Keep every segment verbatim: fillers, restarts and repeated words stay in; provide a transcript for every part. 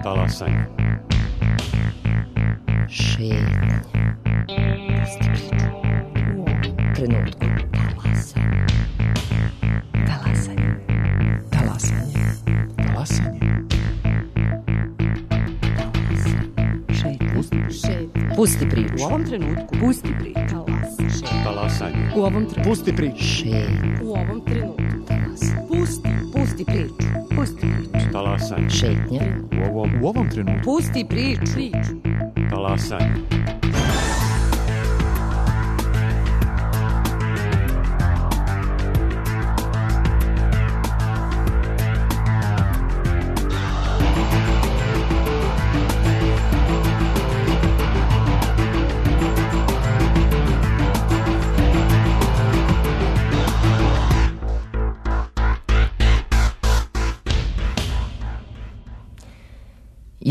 Talasanje. Šetnje. Pusti priču. U ovom trenutku. Talasanje. Talasanje. Talasanje. Talasanje. Pusti priču. U ovom trenutku. Pusti priču. Talasanje. U ovom trenutku. Pusti priču. Šetnje. U ovom trenutku. Talasanje. Pusti. Pusti priču. Pusti priču. Talasanje. Šetnje. U ovom, U ovom trenutku. Pusti priču. Priču. talasanje.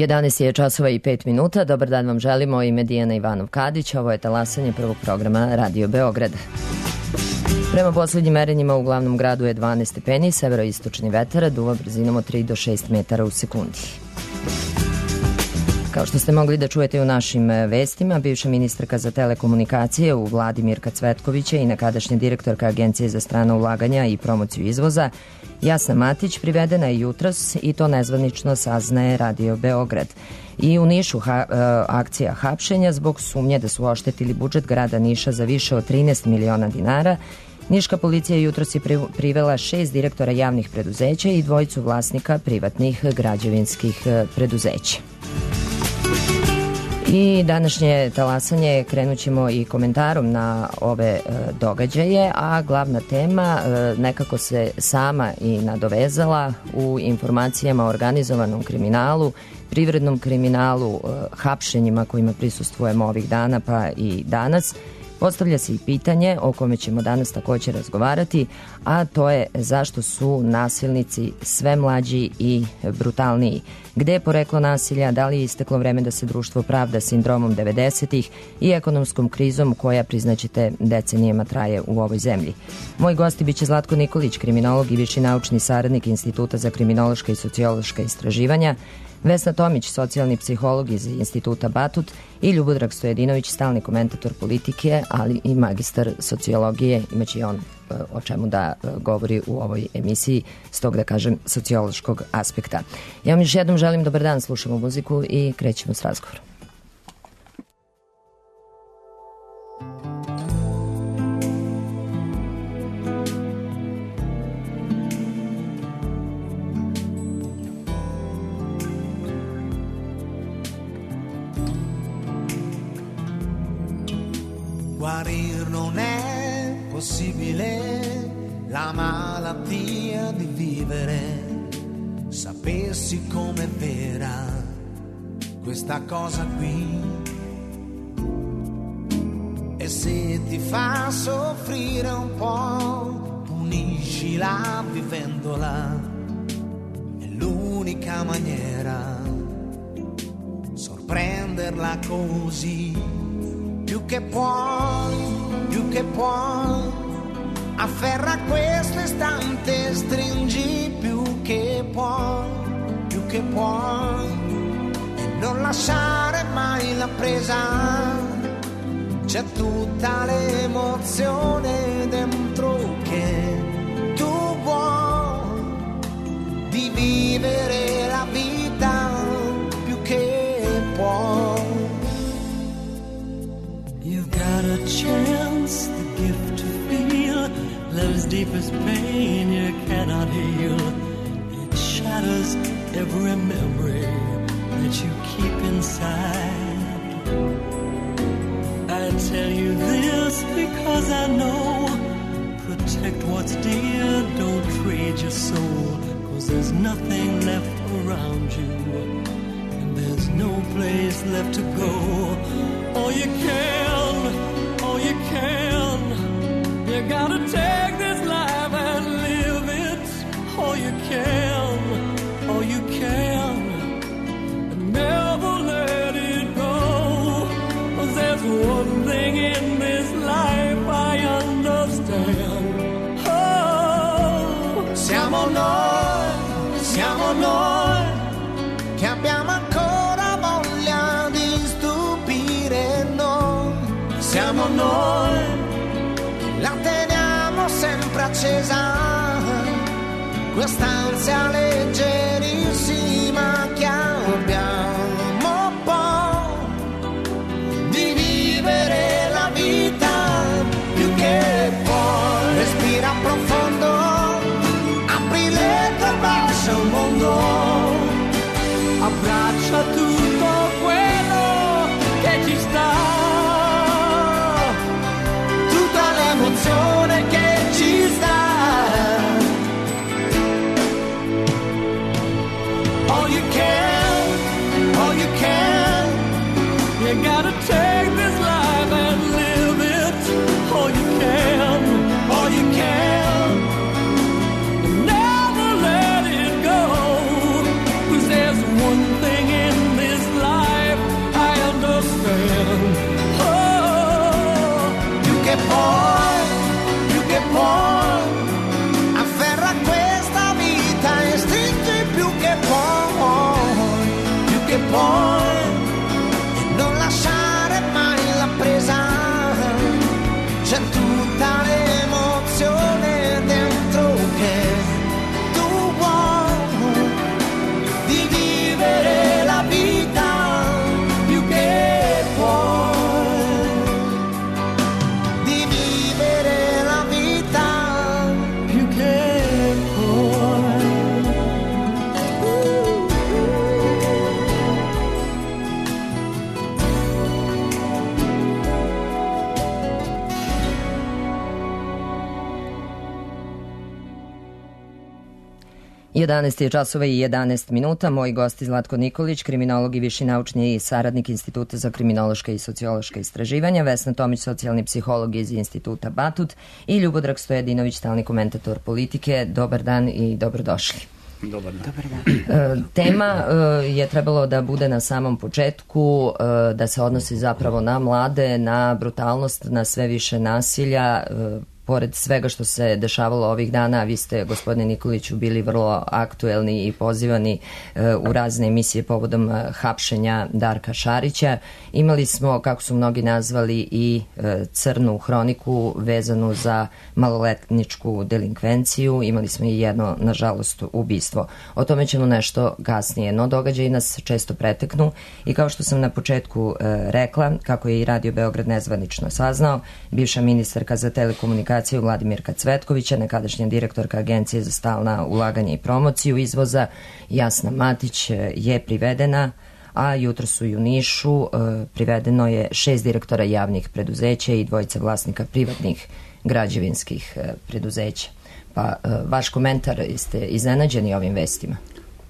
jedanaest je časova i pet minuta. Dobar dan vam želimo, ime Dijana Ivanov-Kadić. Ovo je talasanje prvog programa Radio Beograd. Prema poslednjim merenjima u glavnom gradu je dvanaest stepeni, severoistočni vetar duva brzinom od tri do šest metara u sekundi. Kao što ste mogli da čujete u našim vestima, bivša ministarka za telekomunikacije u vladi Mirka Cvetkovića i nekadašnja direktorka Agencije za strana ulaganja i promociju izvoza Jasna Matić privedena je jutros i to nezvanično saznaje Radio Beograd. I u Nišu ha, akcija hapšenja zbog sumnje da su oštetili budžet grada Niša za više od trinaest miliona dinara. Niška policija jutros je privela šest direktora javnih preduzeća i dvojicu vlasnika privatnih građevinskih preduzeća. I današnje talasanje krenut ćemo i komentarom na ove e, događaje, a glavna tema e, nekako se sama i nadovezala u informacijama o organizovanom kriminalu, privrednom kriminalu, e, hapšenjima kojima prisustvujemo ovih dana pa i danas. Postavlja se i pitanje o kome ćemo danas također razgovarati, a to je zašto su nasilnici sve mlađi i brutalniji. Gde je poreklo nasilja, da li je isteklo vreme da se društvo pravda sindromom devedesetih i ekonomskom krizom koja, priznaćete, decenijama traje u ovoj zemlji. Moj gosti biće Zlatko Nikolić, kriminolog i viši naučni saradnik Instituta za kriminološka i sociološka istraživanja, Vesna Tomić, socijalni psiholog iz Instituta Batut i Ljubodrag Stojedinović, stalni komentator politike, ali i magistar sociologije. Imaće i on o čemu da govori u ovoj emisiji, s tog da kažem sociološkog aspekta. Ja vam još jednom želim dobar dan, slušamo muziku i krećemo s razgovorom. Guarir non è possibile, la malattia di vivere, sapessi com'è vera questa cosa qui. E se ti fa soffrire un po', puniscila vivendola, è l'unica maniera, sorprenderla così. Più che puoi, più che puoi, afferra questo istante, stringi più che puoi, più che puoi, e non lasciare mai la presa, c'è tutta l'emozione dentro che tu vuoi, di vivere la vita più che puoi. Got a chance, the gift to feel love's deepest pain you cannot heal. It shatters every memory that you keep inside. I tell you this because I know, protect what's dear, don't trade your soul, cause there's nothing left around you, and there's no place left to go. All you can, all you can, you gotta take this life and live it. All you can, all you can, and never let it go. 'Cause there's one thing in this life I understand. Oh, siamo noi, siamo noi che abbiamo ancora voglia di stupire noi. Siamo noi, la teniamo sempre accesa, quest'ansia leggerissima che abbiamo poi di vivere la vita più che puoi. Respira profondo, apri le tue braccia al mondo, abbraccia tutto quello che ci sta, tutta l'emozione che ci sta. All you can, all you can, you gotta take this life and live it. All you can, all you can. never let it go. 'Cause there's one thing in this life I understand. Oh, Più che puoi, più che puoi, afferra questa vita e stringi più che puoi, più che puoi, e non lasciare mai la presa, c'è tutta l'emozione dentro che tu vuoi, di vivere la vita più che puoi, di vivere la vita più che puoi. jedanaest je časova i jedanaest minuta. Moj gost je Zlatko Nikolić, kriminolog i viši naučni saradnik Instituta za kriminološka i sociološka istraživanja, Vesna Tomić, socijalni psiholog iz Instituta Batut i Ljubodrag Stojadinović, stalni komentator politike. Dobar dan i dobrodošli. Dobar dan. Dobar dan. E, tema e, je trebalo da bude na samom početku, e, da se odnosi zapravo na mlade, na brutalnost, na sve više nasilja. E, pored svega što se dešavalo ovih dana, vi ste, gospodine Nikoliću, bili vrlo aktuelni i pozivani e, u razne emisije povodom e, hapšenja Darka Šarića. Imali smo, kako su mnogi nazvali, i e, crnu hroniku vezanu za maloletničku delinkvenciju. Imali smo i jedno, nažalost, ubistvo. O tome ćemo nešto kasnije, no događaji nas često preteknu i kao što sam na početku e, rekla, kako je i Radio Beograd nezvanično saznao, bivša ministarka za telekomunikaciju Vladimirka Cvetkovića, nekadašnja direktorka Agencije za stalna ulaganja i promociju izvoza Jasna Matić je privedena, a jutro su i u Nišu e, privedeno je šest direktora javnih preduzeća i dvojica vlasnika privatnih građevinskih e, preduzeća. Pa e, vaš komentar, jeste iznenađeni ovim vestima?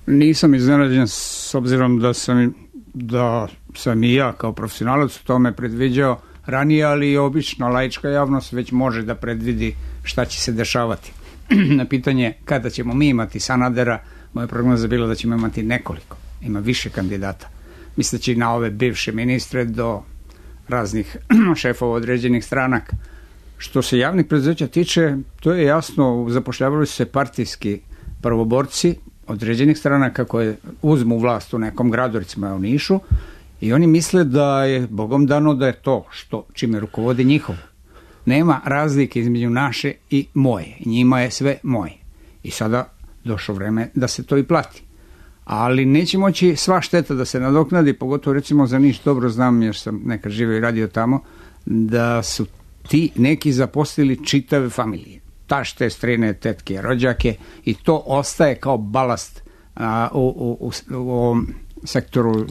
Nisam iznenađen s obzirom da sam, da sam i ja kao profesionalac u tome predviđao ranije, ali i obično laička javnost već može da predvidi šta će se dešavati. Na pitanje kada ćemo mi imati Sanadera, moja prognoza je bila da ćemo imati nekoliko, ima više kandidata. Misleći na ove bivše ministre do raznih šefova određenih stranaka. Što se javnih preduzeća tiče, to je jasno, zapošljavali su se partijski prvoborci određenih stranaka koje uzmu vlast u nekom gradu, recimo u Nišu, i oni misle da je Bogom dano da je to što čime rukovodi njihovo. Nema razlike između naše i moje. Njima je sve moje. I sada došlo vreme da se to i plati. Ali neće moći sva šteta da se nadoknadi, pogotovo recimo za Niš, dobro znam jer sam nekad živio i radio tamo, da su ti neki zaposlili čitave familije. Tašte, strine, tetke, rođake, i to ostaje kao balast a, u, u, u, u ovom sektoru,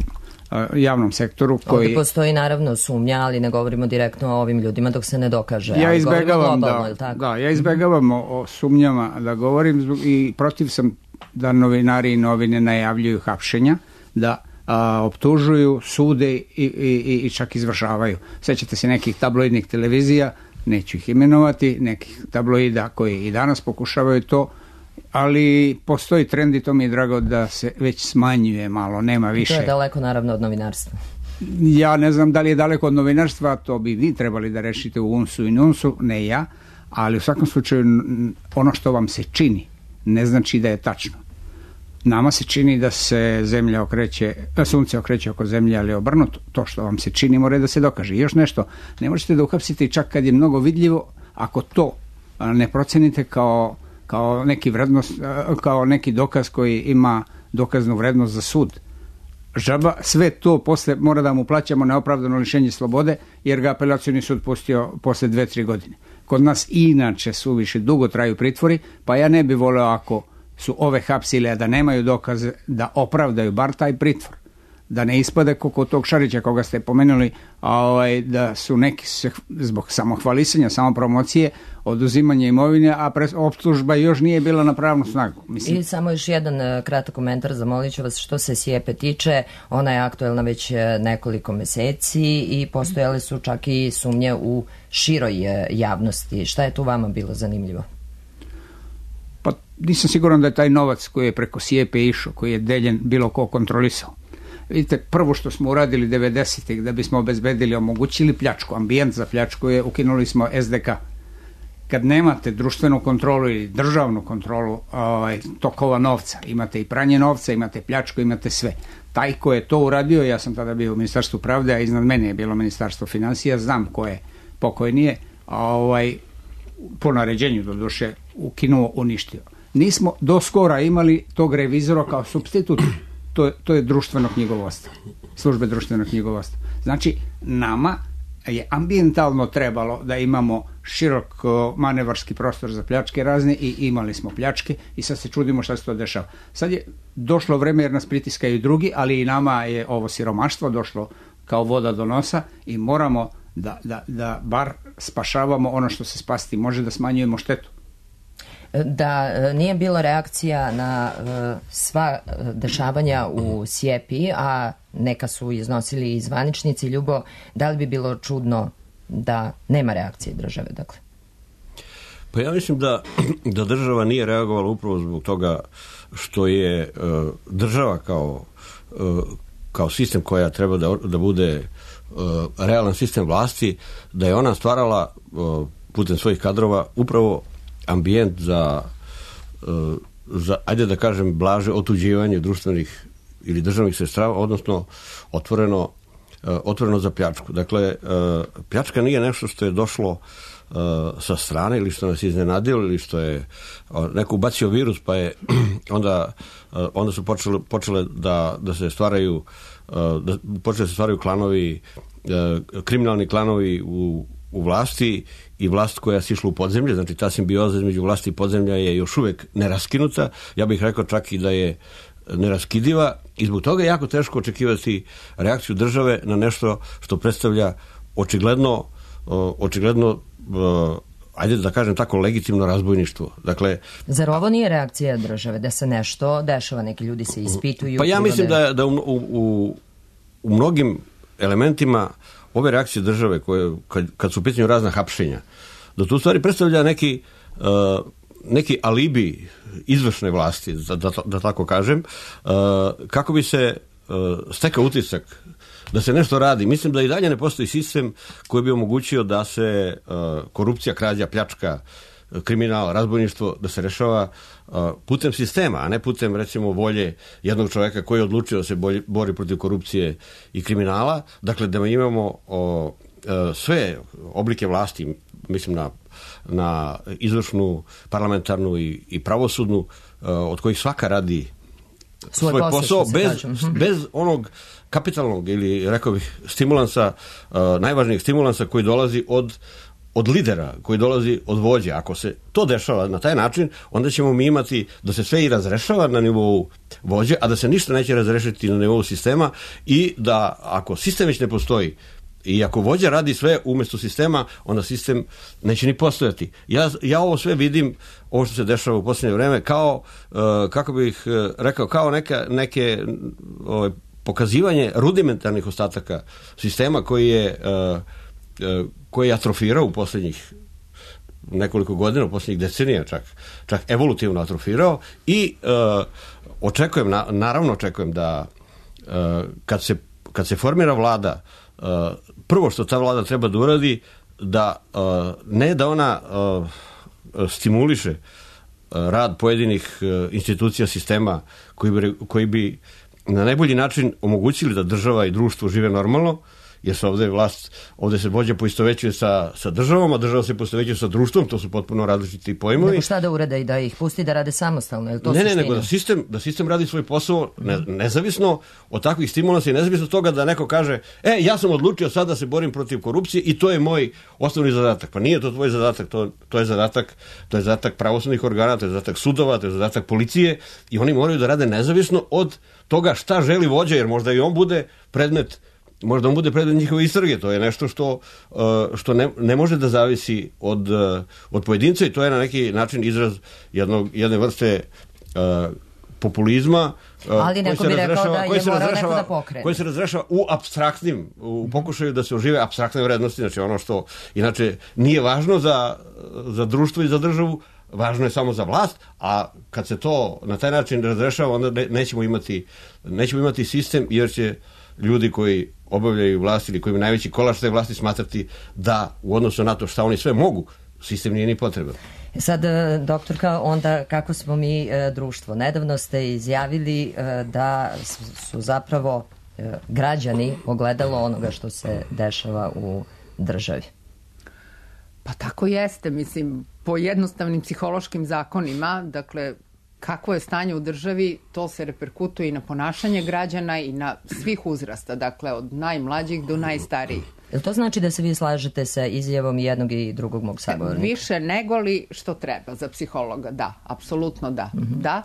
javnom sektoru koji... Ovdje postoji naravno sumnja, ali ne govorimo direktno o ovim ljudima dok se ne dokaže. Ja izbegavam, globalno, da, da, ja izbegavam o, o sumnjama da govorim i protiv sam da novinari i novine najavljuju hapšenja, da a, optužuju, sude i, i, i čak izvršavaju. Sećate se nekih tabloidnih televizija, neću ih imenovati, nekih tabloida koji i danas pokušavaju to, ali postoji trend i to mi je drago da se već smanjuje malo, nema više. To je daleko naravno od novinarstva. Ja ne znam da li je daleko od novinarstva, to bi vi trebali da rešite u unsu i nunsu, ne ja, ali u svakom slučaju ono što vam se čini ne znači da je tačno. nama se čini da se zemlja okreće, da sunce okreće oko zemlje, ali obrnuto. To što vam se čini mora da se dokaže. I još nešto, ne možete da uhapsite čak kad je mnogo vidljivo, ako to ne procenite kao, kao neki vrednost, kao neki dokaz koji ima dokaznu vrednost za sud. Žaba, sve to posle mora da mu plaćamo neopravdano lišenje slobode, jer ga apelacioni sud pustio posle dve, tri godine. Kod nas inače suviše dugo traju pritvori, pa ja ne bi voleo ako su ove hapsile, a da nemaju dokaze da opravdaju bar taj pritvor. Da ne ispade kod tog Šarića koga ste pomenuli, a ovaj, da su neki se, zbog samohvalisanja, samopromocije, oduzimanja imovine, a pres, optužba još nije bila na pravnu snagu. Mislim. I samo još jedan uh, kratak komentar, zamolit ću vas, što se Sijepe tiče, ona je aktuelna već uh, nekoliko meseci i postojale su čak i sumnje u široj uh, javnosti. Šta je tu vama bilo zanimljivo? Pa nisam siguran da je taj novac koji je preko Sijepe išao, koji je deljen, bilo ko kontrolisao. Vidite, prvo što smo uradili devedesetih da bismo obezbedili, omogućili pljačku, ambijent za pljačku je, ukinuli smo es de ka. Kad nemate društvenu kontrolu ili državnu kontrolu ovaj, tokova novca, imate i pranje novca, imate pljačku, imate sve. Taj ko je to uradio, ja sam tada bio u Ministarstvu pravde, a iznad mene je bilo Ministarstvo finansija, znam ko je pokojnije, a ovaj, po naređenju do duše ukinuo, uništio. Nismo do skora imali tog revizora kao supstitut. To, to je društveno knjigovodstvo, službe društvenog knjigovodstva. Znači, nama je ambijentalno trebalo da imamo širok manevarski prostor za pljačke razne i imali smo pljačke i sad se čudimo šta se to dešava. Sad je došlo vreme jer nas pritiskaju drugi, ali i nama je ovo siromaštvo došlo kao voda do nosa i moramo da, da, da bar spašavamo ono što se spasiti može, da smanjujemo štetu. Da nije bilo reakcija na sva dešavanja u Sijepi, a neka su iznosili i zvaničnici, Ljubo, da li bi bilo čudno da nema reakcije države? Dakle? Pa ja mislim da, da država nije reagovala upravo zbog toga što je uh, država kao, uh, kao sistem koja treba da, da bude uh, realan sistem vlasti, da je ona stvarala uh, putem svojih kadrova upravo ambijent za, za, ajde da kažem, blaže otuđivanje društvenih ili državnih sredstava, odnosno otvoreno, otvoreno za pljačku. Dakle, pljačka nije nešto što je došlo sa strane ili što nas iznenadilo ili što je neko ubacio virus pa je onda, onda su počele, počele da, da se stvaraju da počele se stvaraju klanovi, kriminalni klanovi u u vlasti i vlast koja se išla u podzemlje, znači ta simbioza između vlasti i podzemlja je još uvek neraskinuta, ja bih rekao čak i da je neraskidiva i zbog toga je jako teško očekivati reakciju države na nešto što predstavlja očigledno, očigledno ajde da kažem tako, legitimno razbojništvo. Dakle, zar ovo nije reakcija države, da se nešto dešava, neki ljudi se ispituju? Pa ja mislim da, da u, u, u mnogim elementima ove reakcije države koje, kad, kad su u pitanju razna hapšenja, da tu stvari predstavlja neki, uh, neki alibi izvršne vlasti, da, da, da tako kažem, uh, kako bi se uh, stekao utisak da se nešto radi. Mislim da i dalje ne postoji sistem koji bi omogućio da se uh, korupcija, krađa, pljačka, kriminal, razbojništvo, da se rešava uh, putem sistema, a ne putem, recimo, volje jednog čoveka koji je odlučio da se bolji, bori protiv korupcije i kriminala. Dakle, da mi imamo uh, uh, sve oblike vlasti, mislim na, na izvršnu, parlamentarnu i, i pravosudnu, uh, od kojih svaka radi svoj, svoj posao, bez, bez onog kapitalnog ili, rekao bih, stimulansa, uh, najvažnijeg stimulansa koji dolazi od od lidera, koji dolazi od vođe. Ako se to dešava na taj način, onda ćemo mi imati da se sve i razrešava na nivou vođe, a da se ništa neće razrešiti na nivou sistema i da ako sistem već ne postoji i ako vođa radi sve umjesto sistema, onda sistem neće ni postojati. Ja, ja ovo sve vidim, ovo što se dešava u posljednje vreme, kao, uh, kako bih uh, rekao, kao neka, neke uh, pokazivanje rudimentarnih ostataka sistema koji je uh, uh, koji je atrofirao u posljednjih nekoliko godina, u posljednjih decenija čak, čak evolutivno atrofirao i uh, očekujem, na, naravno očekujem da uh, kad, se, kad se formira vlada, uh, prvo što ta vlada treba da uradi, da uh, ne da ona uh, stimuliše rad pojedinih institucija sistema koji bi, koji bi na najbolji način omogućili da država i društvo žive normalno, jer se ovde vlast, ovde se vođa poistovećuje sa, sa državom, a država se poistovećuje sa društvom, to su potpuno različiti pojmovi. Nego šta da urade i da ih pusti da rade samostalno? Je li to ne, suština? ne, nego da sistem, da sistem radi svoj posao ne, nezavisno od takvih stimulansa i nezavisno od toga da neko kaže, e, ja sam odlučio sad da se borim protiv korupcije i to je moj osnovni zadatak. Pa nije to tvoj zadatak, to, to je zadatak, to je zadatak pravosudnih organa, to je zadatak sudova, to je zadatak policije i oni moraju da rade nezavisno od toga šta želi vođa, jer možda i on bude predmet Možda on bude predmet njihove istrage, to je nešto što, što ne, ne može da zavisi od, od pojedinca i to je na neki način izraz jednog, jedne vrste uh, populizma ali neko bi rekao da je morao neko da pokrene. Koji se razrešava u apstraktnim, u pokušaju da se ožive apstraktne vrednosti, znači ono što inače nije važno za, za društvo i za državu, važno je samo za vlast, a kad se to na taj način razrešava, onda ne, nećemo imati, nećemo imati sistem, jer će ljudi koji obavljaju vlast ili koji imaju najveći kolač te vlasti smatrati da u odnosu na to šta oni sve mogu, sistem nije ni potreban. Sad, doktorka, onda kako smo mi e, društvo? Nedavno ste izjavili e, da su zapravo e, građani ogledalo onoga što se dešava u državi. Pa tako jeste, mislim, po jednostavnim psihološkim zakonima, dakle, kakvo je stanje u državi, to se reperkutuje i na ponašanje građana i na svih uzrasta, dakle od najmlađih do najstarijih. Jel to znači da se vi slažete sa izjavom jednog i drugog mog sagovornika? Više nego li što treba za psihologa, da, apsolutno da, mm-hmm. da.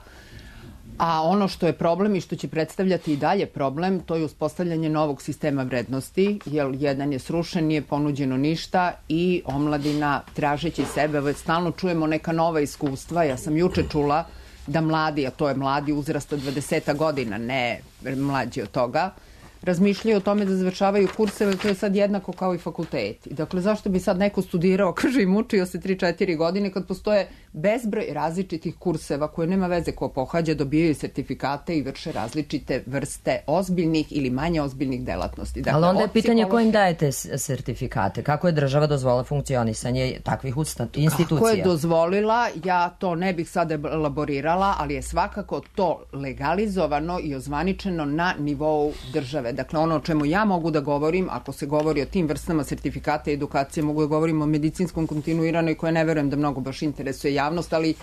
A ono što je problem i što će predstavljati i dalje problem, to je uspostavljanje novog sistema vrednosti, jer jedan je srušen, nije ponuđeno ništa i omladina tražeći sebe, već stalno čujemo neka nova iskustva. Ja sam juče čula da mladi, a to je mladi uzrasta dvadeset godina, ne mlađi od toga, razmišljaju o tome da završavaju kurseve, to je sad jednako kao i fakulteti. Dakle, zašto bi sad neko studirao, kaže i mučio se tri četiri godine, kad postoje bezbroj različitih kurseva koje nema veze ko pohađa, dobijaju sertifikate i vrše različite vrste ozbiljnih ili manje ozbiljnih delatnosti. Dakle, ali onda je pitanje psihološki... kojim dajete sertifikate? Kako je država dozvolila funkcionisanje takvih usta... institucija? Kako je dozvolila, ja to ne bih sad elaborirala, ali je svakako to legalizovano i ozvaničeno na nivou države. Dakle, ono o čemu ja mogu da govorim, ako se govori o tim vrstama sertifikata i edukacije, mogu da govorim o medicinskom kontinuiranoj, koje ne verujem da mnogo baš interesuje javnost, ali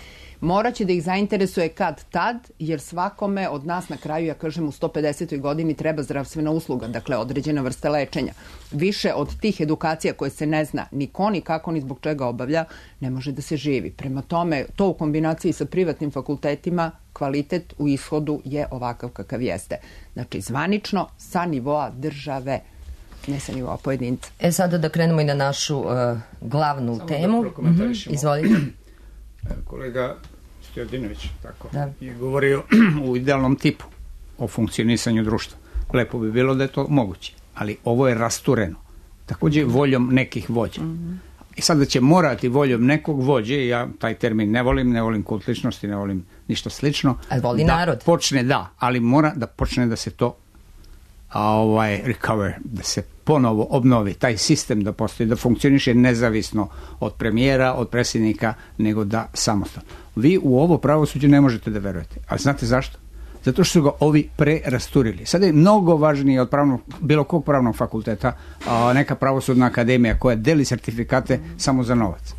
morat će da ih zainteresuje kad tad, jer svakome od nas na kraju, ja kažem, u sto pedesetoj godini treba zdravstvena usluga, dakle određena vrsta lečenja. Više od tih edukacija koje se ne zna ni ko, ni kako, ni zbog čega obavlja, ne može da se živi. Prema tome, to u kombinaciji sa privatnim fakultetima, kvalitet u ishodu je ovakav kakav jeste. Znači, zvanično sa nivoa države, ne sa nivoa pojedinca. E sada da krenemo i na našu uh, glavnu Samo temu. Da prokomentarišemo. Mm-hmm. Izvolite. Kolega Stojadinović tako, da. je govorio u idealnom tipu o funkcionisanju društva. Lepo bi bilo da je to moguće, ali ovo je rastureno. Takođe voljom nekih vođa. Mm-hmm. I sada će morati voljom nekog vođe, ja taj termin ne volim, ne volim kult ličnosti, ne volim ništa slično. Ali voli da narod. Počne, da, ali mora da počne da se to a, ovaj, recover, da se ponovo obnovi taj sistem, da postoji, da funkcioniše nezavisno od premijera, od predsjednika, nego da samostalno. Vi u ovo pravosuđe ne možete da verujete. A znate zašto? Zato što su ga ovi prerasturili. Sada je mnogo važnije od pravnog, bilo kog pravnog fakulteta a, neka pravosudna akademija koja deli sertifikate samo za novac.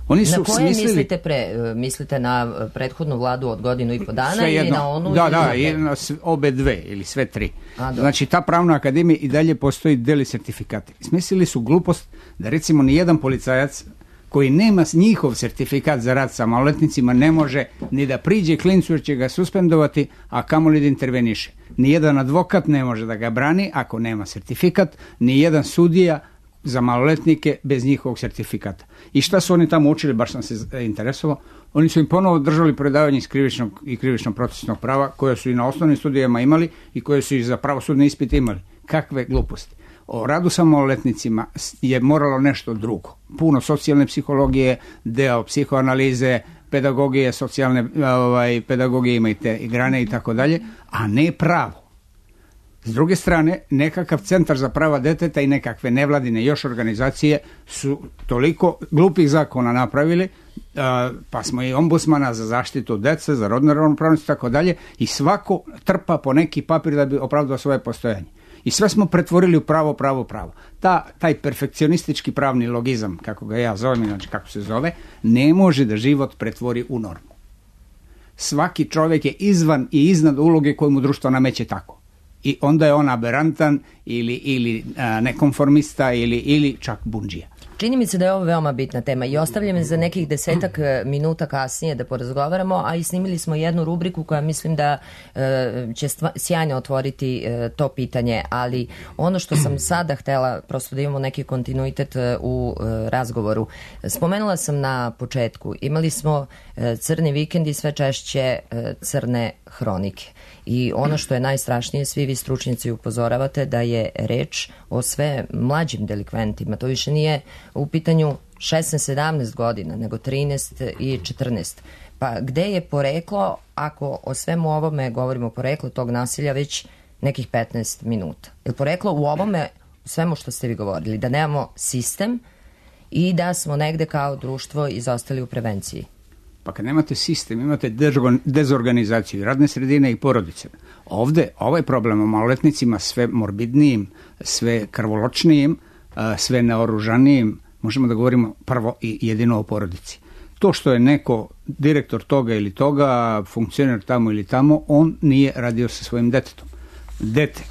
Oni su na koje smislili... mislite pre? Mislite na prethodnu vladu od godinu i po dana sve ili jedno. na onu? Da, da, i na obe dve ili sve tri. A, znači, ta pravna akademija i dalje postoji deli sertifikate. Smislili su glupost da recimo nijedan policajac koji nema njihov sertifikat za rad sa maloletnicima ne može ni da priđe klincu jer će ga suspendovati, a kamoli da interveniše. Nijedan advokat ne može da ga brani ako nema sertifikat, nijedan sudija za maloletnike bez njihovog sertifikata. I šta su oni tamo učili, baš sam se interesovao, oni su im ponovo držali predavanje iz krivičnog i krivično procesnog prava koje su i na osnovnim studijama imali i koje su i za pravosudne ispite imali. Kakve gluposti. O radu sa maloletnicima je moralo nešto drugo. Puno socijalne psihologije, deo psihoanalize, pedagogije, socijalne ovaj, pedagogije ima i te i grane i tako dalje, a ne pravo. S druge strane, nekakav centar za prava deteta i nekakve nevladine još organizacije su toliko glupih zakona napravili, pa smo i ombudsmana za zaštitu dece, za rodnu ravnopravnost i tako dalje, i svako trpa po neki papir da bi opravdao svoje postojanje. I sve smo pretvorili u pravo, pravo, pravo. Ta, taj perfekcionistički pravni logizam, kako ga ja zovem, znači kako se zove, ne može da život pretvori u normu. Svaki čovjek je izvan i iznad uloge koju mu društvo nameće tako. I onda je on aberantan ili, ili a, nekonformista ili, ili čak bundžija. Čini mi se da je ovo veoma bitna tema i ostavljam je za nekih desetak minuta kasnije da porazgovaramo, a i snimili smo jednu rubriku koja mislim da e, će stva, sjajno otvoriti e, to pitanje, ali ono što sam sada htela, prosto da imamo neki kontinuitet e, u e, razgovoru. Spomenula sam na početku, imali smo e, crni vikend i sve češće e, crne hronike. I ono što je najstrašnije, svi vi stručnjaci upozoravate da je reč o sve mlađim delikventima. To više nije u pitanju šesnaest sedamnaest godina, nego trinaest i četrnaest. Pa gde je poreklo, ako o svemu ovome govorimo poreklo tog nasilja već nekih petnaest minuta? Je poreklo u ovome, u svemu što ste vi govorili, da nemamo sistem i da smo negde kao društvo izostali u prevenciji? Pa kad nemate sistem, imate dezorganizaciju radne sredine i porodice. Ovde, ovaj problem o maloletnicima sve morbidnijim, sve krvoločnijim, sve naoružanijim, možemo da govorimo prvo i jedino o porodici. To što je neko direktor toga ili toga, funkcioner tamo ili tamo, on nije radio sa svojim detetom. Dete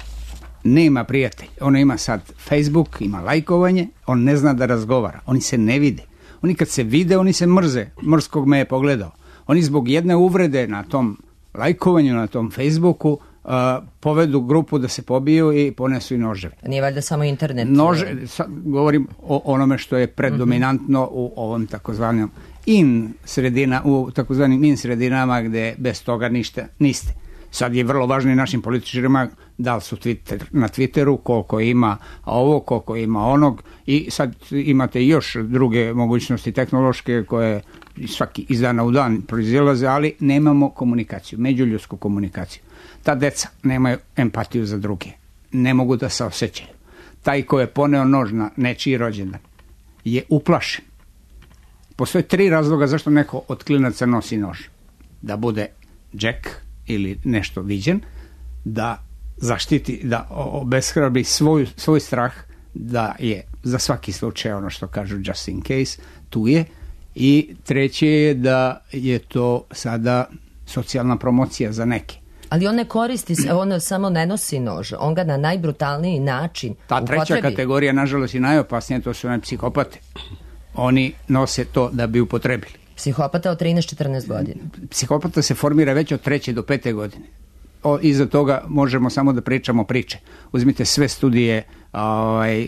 nema prijatelj, ono ima sad Facebook, ima lajkovanje, on ne zna da razgovara, oni se ne vide. Oni kad se vide, oni se mrze, mrskog me je pogledao. Oni zbog jedne uvrede na tom lajkovanju, na tom Facebooku, uh, povedu grupu da se pobiju i ponesu i noževe. Nije valjda samo internet? Nože, sad govorim o onome što je predominantno mm-hmm. u ovom takozvanom in sredina, u takozvanim in sredinama gde bez toga ništa niste. Sad je vrlo važno i našim političarima da li su Twitter, na Twitteru, koliko ima ovo, koliko ima onog, i sad imate još druge mogućnosti tehnološke koje svaki iz dana u dan proizilaze, ali nemamo komunikaciju, međuljudsku komunikaciju. Ta deca nemaju empatiju za druge, ne mogu da se osjećaju. Taj ko je poneo nož na nečiji rođendan je uplašen. Postoje tri razloga zašto neko od klinaca nosi nož. Da bude džek ili nešto viđen, da zaštiti, da obeshrabri svoj, svoj strah, da je za svaki slučaj ono što kažu just in case, tu je, i treće je da je to sada socijalna promocija za neke. Ali on ne koristi, on samo ne nosi nož, on ga na najbrutalniji način Ta treća upotrebi. Kategorija, nažalost i najopasnije, to su one psihopate. Oni nose to da bi upotrebili. Psihopata od trinaest četrnaest godina. Psihopata se formira već od treće do pete godine. O, iza toga možemo samo da pričamo priče. Uzmite sve studije ovaj,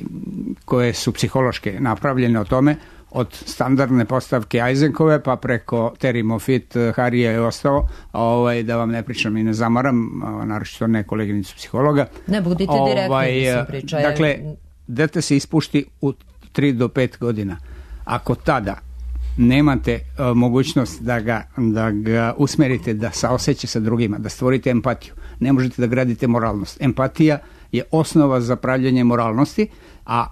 koje su psihološke napravljene o tome, od standardne postavke Eisenkove pa preko Terry Moffitt, Harija i ostalo, ovaj, da vam ne pričam i ne zamaram, naročito ne koleginicu psihologa. Ne, budite direktni, ovaj, mislim, pričaju. Dakle, dete se ispušti u tri do pet godina. Ako tada nemate uh, mogućnost da ga, da ga usmerite da saoseća sa drugima, da stvorite empatiju, ne možete da gradite moralnost. Empatija je osnova za pravljenje moralnosti, a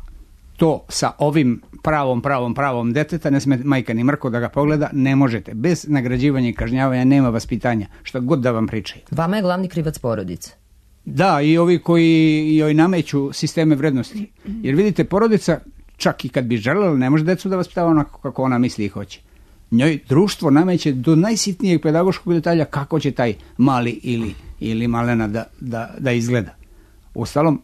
to sa ovim pravom, pravom, pravom deteta, ne sme majka ni mrko da ga pogleda, ne možete. Bez nagrađivanja i kažnjavanja nema vaspitanja, šta god da vam pričaju. Vama je glavni krivac porodica. Da, i ovi koji joj nameću sisteme vrednosti. Jer vidite, porodica, čak i kad bi želela, ne može decu da vaspitava onako kako ona misli i hoće. Njoj društvo nameće do najsitnijeg pedagoškog detalja kako će taj mali ili, ili malena da, da, da izgleda. Uostalom,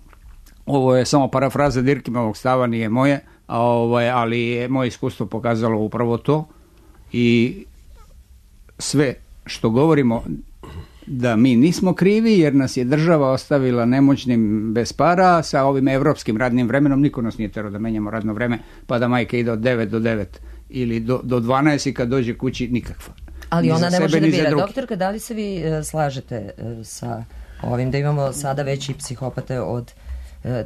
ovo je samo parafraza Dirkimovog stava, nije moje, a ovo je, ali je moje iskustvo pokazalo upravo to, i sve što govorimo da mi nismo krivi jer nas je država ostavila nemoćnim bez para, sa ovim evropskim radnim vremenom niko nas nije terao da menjamo radno vreme pa da majka ide od devet do devet ili do, do dvanaest i kad dođe kući nikakva. Ali ona ne može da bira. drugi. Doktorka, da li se vi uh, slažete uh, sa ovim da imamo sada već i psihopate od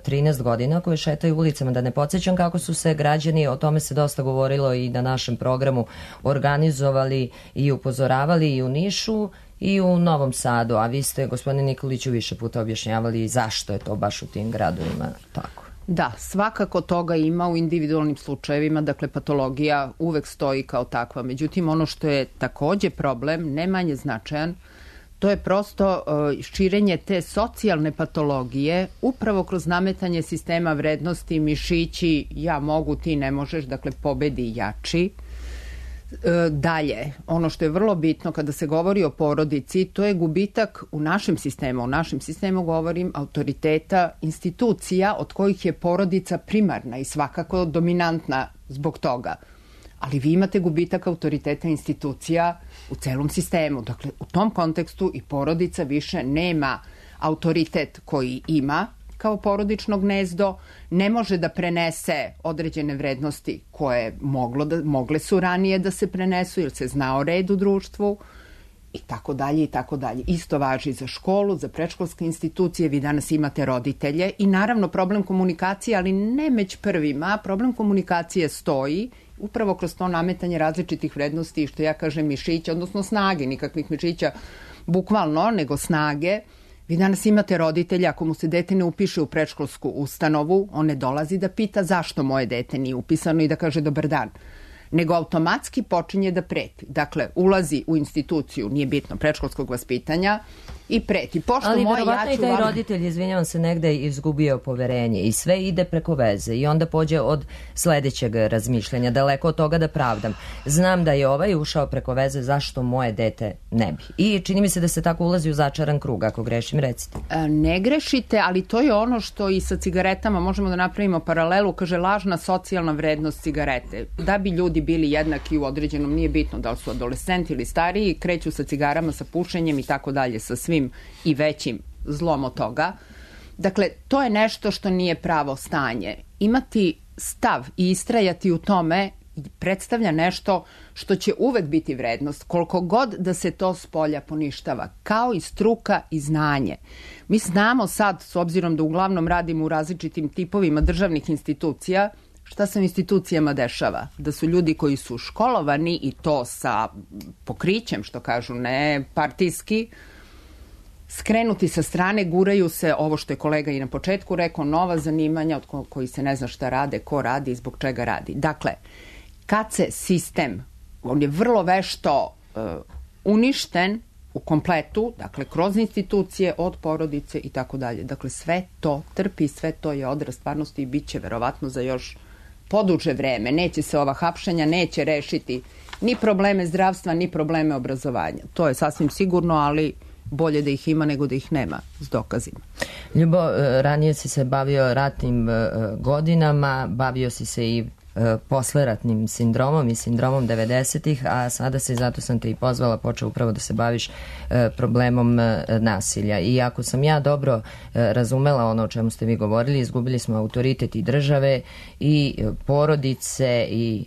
trinaest godina koje šetaju ulicama. Da ne podsjećam kako su se građani, o tome se dosta govorilo i na našem programu, organizovali i upozoravali i u Nišu i u Novom Sadu, a vi ste, gospodine Nikoliću, više puta objašnjavali zašto je to baš u tim gradovima tako. Da, svakako toga ima u individualnim slučajevima, dakle patologija uvek stoji kao takva. Međutim, ono što je takođe problem, ne manje značajan, to je prosto uh, širenje te socijalne patologije upravo kroz nametanje sistema vrednosti, mišići, ja mogu, ti ne možeš, dakle pobedi jači. E, dalje, ono što je vrlo bitno kada se govori o porodici, to je gubitak u našem sistemu. U našem sistemu govorim autoriteta institucija od kojih je porodica primarna i svakako dominantna zbog toga. Ali vi imate gubitak autoriteta institucija u celom sistemu. Dakle, u tom kontekstu i porodica više nema autoritet koji ima kao porodično gnezdo, ne može da prenese određene vrednosti koje moglo da, mogle su ranije da se prenesu jer se znao red u društvu i tako dalje i tako dalje. Isto važi za školu, za predškolske institucije, vi danas imate roditelje i naravno problem komunikacije, ali ne među prvima, problem komunikacije stoji upravo kroz to nametanje različitih vrednosti, što ja kažem mišića, odnosno snage, nikakvih mišića bukvalno, nego snage. Vi danas imate roditelja, ako mu se dete ne upiše u predškolsku ustanovu, on ne dolazi da pita zašto moje dete nije upisano i da kaže dobar dan, nego automatski počinje da preti. Dakle, ulazi u instituciju, nije bitno, predškolskog vaspitanja i preti. Pošto ali moje, verovatno ja ću i taj vam... roditelj, izvinjavam se, negde izgubio poverenje i sve ide preko veze i onda pođe od sledećeg razmišljanja, daleko od toga da pravdam. Znam da je ovaj ušao preko veze, zašto moje dete ne bi. I čini mi se da se tako ulazi u začaran krug, ako grešim, recite. Ne grešite, ali to je ono što i sa cigaretama možemo da napravimo paralelu, kaže lažna socijalna vrednost cigarete. Da bi ljudi bili jednaki u određenom, nije bitno da li su adolescenti ili stariji, kreću sa cigarama, sa pušenjem i tako dalje, sa svim i većim zlom od toga. Dakle, to je nešto što nije pravo stanje. Imati stav i istrajati u tome predstavlja nešto što će uvek biti vrednost, koliko god da se to spolja poništava, kao i struka i znanje. Mi znamo sad, s obzirom da uglavnom radimo u različitim tipovima državnih institucija, šta se u institucijama dešava? Da su ljudi koji su školovani i to sa pokrićem, što kažu, ne partijski, skrenuti sa strane, guraju se, ovo što je kolega i na početku rekao, nova zanimanja od ko, koji se ne zna šta rade, ko radi i zbog čega radi. Dakle, kad se sistem, on je vrlo vešto uh, uništen u kompletu, dakle, kroz institucije, od porodice i tako dalje. Dakle, sve to trpi, sve to je odraz stvarnosti i bit će verovatno za još poduže vreme. Neće se ova hapšenja, neće rešiti ni probleme zdravstva, ni probleme obrazovanja. To je sasvim sigurno, ali bolje da ih ima nego da ih nema s dokazima. Ljubo, ranije si se bavio ratnim godinama, bavio si se i posleratnim sindromom i sindromom devedesetih, a sada se, zato sam te i pozvala, počeo upravo da se baviš problemom nasilja. I ako sam ja dobro razumela ono o čemu ste vi govorili, izgubili smo autoritet i države i porodice i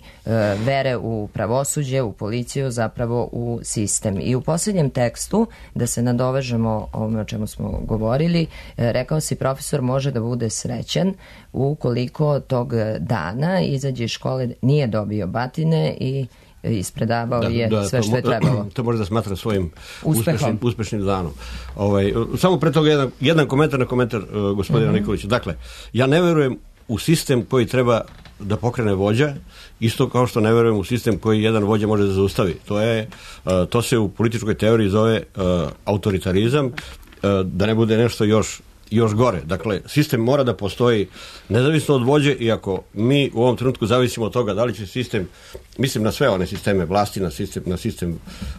vere u pravosuđe, u policiju, zapravo u sistem. I u posljednjem tekstu, da se nadovežemo ovome o čemu smo govorili, rekao si, profesor može da bude srećan ukoliko tog dana izađe iz škole, nije dobio batine i ispredavao da, je da, sve što je trebalo. To može da smatra svojim uspešnim, uspešnim danom. Ovaj, samo pre toga jedan, jedan komentar na komentar uh, gospodina mm-hmm. Nikolića. Dakle, ja ne verujem u sistem koji treba da pokrene vođa, isto kao što ne verujem u sistem koji jedan vođa može da zaustavi. To je, uh, to se u političkoj teoriji zove uh, autoritarizam, uh, da ne bude nešto još još gore. Dakle, sistem mora da postoji nezavisno od vođe, iako mi u ovom trenutku zavisimo od toga da li će sistem, mislim na sve one sisteme vlasti, na sistem, na sistem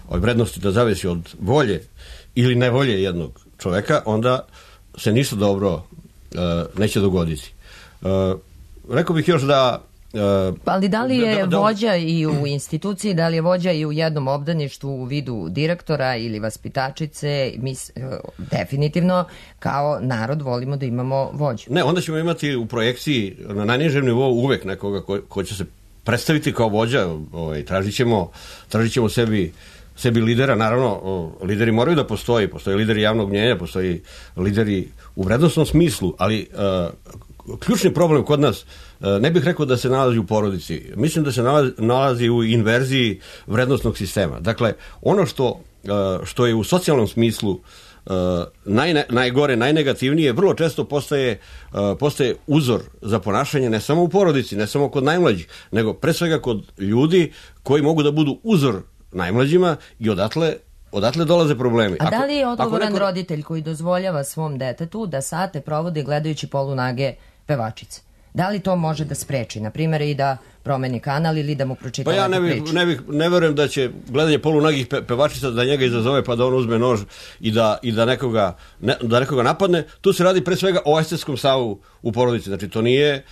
vrednosti da zavisi od volje ili nevolje jednog čoveka, onda se ništa dobro uh, neće dogoditi. Uh, rekao bih još da Uh, ali da li je da, da, vođa i u instituciji, da li je vođa i u jednom obdaništvu u vidu direktora ili vaspitačice? Mi definitivno kao narod volimo da imamo vođu. Ne, onda ćemo imati u projekciji na najnižem nivou uvek nekoga ko, ko će se predstaviti kao vođa. Ovaj, tražit ćemo, tražit ćemo sebi sebi lidera, naravno, lideri moraju da postoji, postoji lideri javnog mnjenja, postoji lideri u vrednostnom smislu, ali uh, ključni problem kod nas, uh, ne bih rekao da se nalazi u porodici, mislim da se nalazi, nalazi u inverziji vrednostnog sistema. Dakle, ono što, uh, što je u socijalnom smislu Uh, naj, najgore, najnegativnije, vrlo često postaje, uh, postaje uzor za ponašanje ne samo u porodici, ne samo kod najmlađih, nego pre svega kod ljudi koji mogu da budu uzor najmlađima i odatle odatle dolaze problemi. A da li je odgovoran neko... roditelj koji dozvoljava svom detetu da sate provodi gledajući polunage pevačice? Da li to može da spreči, na primjer, i da promeni kanal ili da mu pročita pa ja ne, lepu bih, priču? Ne, bih, ne verujem da će gledanje polunagih pe, pevačica da njega izazove pa da on uzme nož i da, i da, nekoga, ne, da nekoga napadne. Tu se radi pre svega o estetskom stavu u porodici. Znači to nije...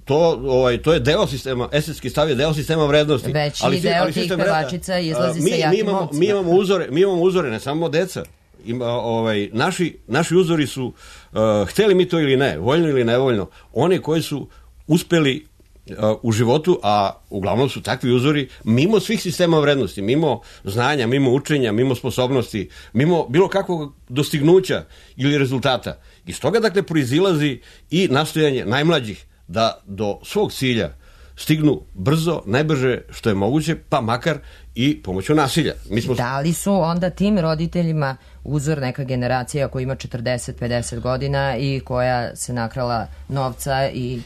To, ovaj, to je deo sistema, estetski stav je deo sistema vrednosti. Veći ali, deo ali tih pevačica izlazi mi, sa jakim mi imamo, ocima. Mi imamo uzore, mi imamo uzore, ne samo deca. Ima, ovaj, naši, naši uzori su, uh, hteli mi to ili ne, voljno ili nevoljno, oni koji su uspeli uh, u životu, a uglavnom su takvi uzori, mimo svih sistema vrednosti, mimo znanja, mimo učenja, mimo sposobnosti, mimo bilo kakvog dostignuća ili rezultata. Iz toga, dakle, proizilazi i nastojanje najmlađih da do svog cilja stignu brzo, najbrže što je moguće, pa makar i pomoću nasilja. Mi smo... Da li su onda tim roditeljima uzor neka generacija koja ima četrdeset pedeset godina i koja se nakrala novca i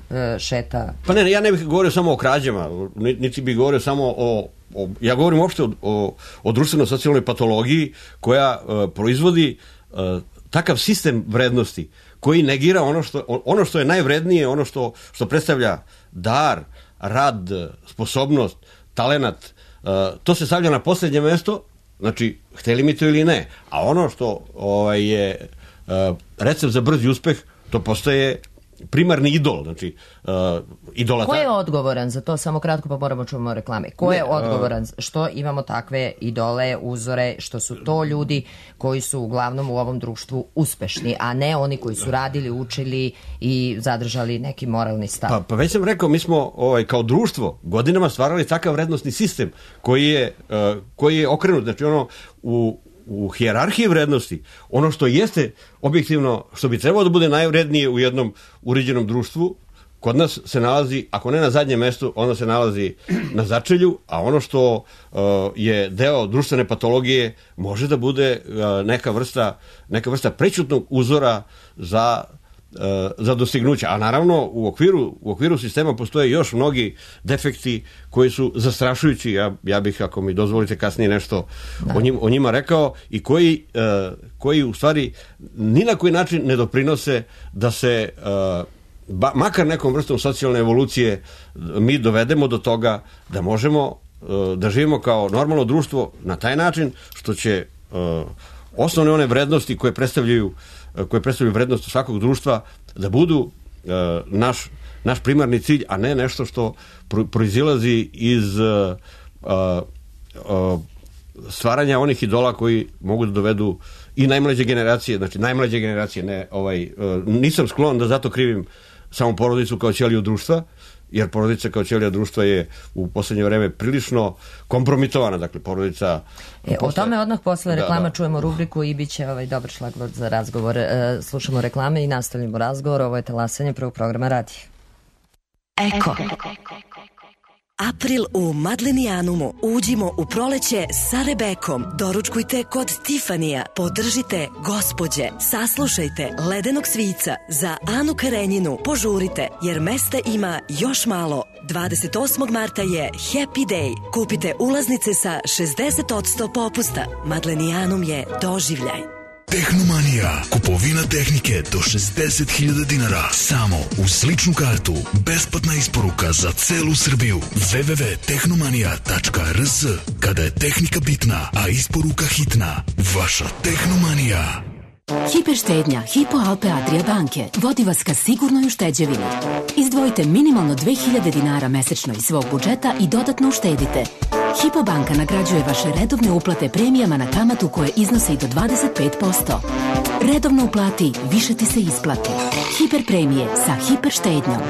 e, šeta? Pa ne, ja ne bih govorio samo o krađama, niti bih govorio samo o... o ja govorim uopšte o, o, o društveno-socijalnoj patologiji koja e, proizvodi e, takav sistem vrednosti koji negira ono što, ono što je najvrednije, ono što, što predstavlja dar, rad, sposobnost, talenat, uh, to se stavlja na posljednje mesto, znači, hteli mi to ili ne. A ono što ovaj, je uh, recept za brzi uspeh, to postaje primarni idol, znači uh, idolata. Ko je odgovoran za to? Samo kratko pa moramo čuvamo reklame. Ko ne, je odgovoran uh, što imamo takve idole, uzore, što su to ljudi koji su uglavnom u ovom društvu uspešni, a ne oni koji su radili, učili i zadržali neki moralni stav? Pa, pa već sam rekao, mi smo ovaj, kao društvo godinama stvarali takav vrednostni sistem koji je, uh, koji je okrenut, znači ono u u hijerarhiji vrednosti, ono što jeste objektivno, što bi trebalo da bude najvrednije u jednom uređenom društvu, kod nas se nalazi, ako ne na zadnjem mestu, ono se nalazi na začelju, a ono što uh, je deo društvene patologije može da bude uh, neka vrsta, neka vrsta prećutnog uzora za za dostignuća, a naravno u okviru, u okviru sistema postoje još mnogi defekti koji su zastrašujući, ja, ja bih, ako mi dozvolite kasnije nešto o, njim, o njima rekao, i koji, uh, koji u stvari ni na koji način ne doprinose da se uh, ba, makar nekom vrstom socijalne evolucije mi dovedemo do toga da možemo uh, da živimo kao normalno društvo na taj način što će uh, osnovne one vrednosti koje predstavljaju koje predstavljaju vrednost svakog društva da budu uh, naš, naš primarni cilj, a ne nešto što pro, proizilazi iz uh, uh, stvaranja onih idola koji mogu da dovedu i najmlađe generacije, znači najmlađe generacije, ne, ovaj, uh, nisam sklon da zato krivim samo porodicu kao ćeliju društva, jer porodica kao ćelija društva je u poslednje vreme prilično kompromitovana, dakle porodica... E, posle... O tome odmah posle reklama da, da. Čujemo rubriku i bit će ovaj dobar šlagvort za razgovor. E, slušamo reklame i nastavljamo razgovor. Ovo je talasanje prvog programa radija. Eko. April u Madlenijanumu. Uđimo u proleće sa Rebekom. Doručkujte kod Tifanija. Podržite gospođe. Saslušajte Ledenog svica za Anu Karenjinu. Požurite jer mesta ima još malo. dvadeset osmog marta je Happy Day. Kupite ulaznice sa šezdeset posto popusta. Madlenijanum je doživljaj. Tehnomanija. Kupovina tehnike do šezdeset hiljada dinara. Samo uz ličnu kartu. Besplatna isporuka za celu Srbiju. w w w tačka tehnomanija tačka r s. Kada je tehnika bitna, a isporuka hitna. Vaša Tehnomanija. Hiperštednja Hypo Alpe Adria banke vodi vas ka sigurnoj ušteđevini. Izdvojite minimalno dve hiljade dinara mesečno iz svog budžeta i dodatno uštedite. Hypo banka nagrađuje vaše redovne uplate premijama na kamatu koje iznose i do dvadeset pet posto. Redovno uplati, više ti se isplati. Hiper premije sa hiper štednjom.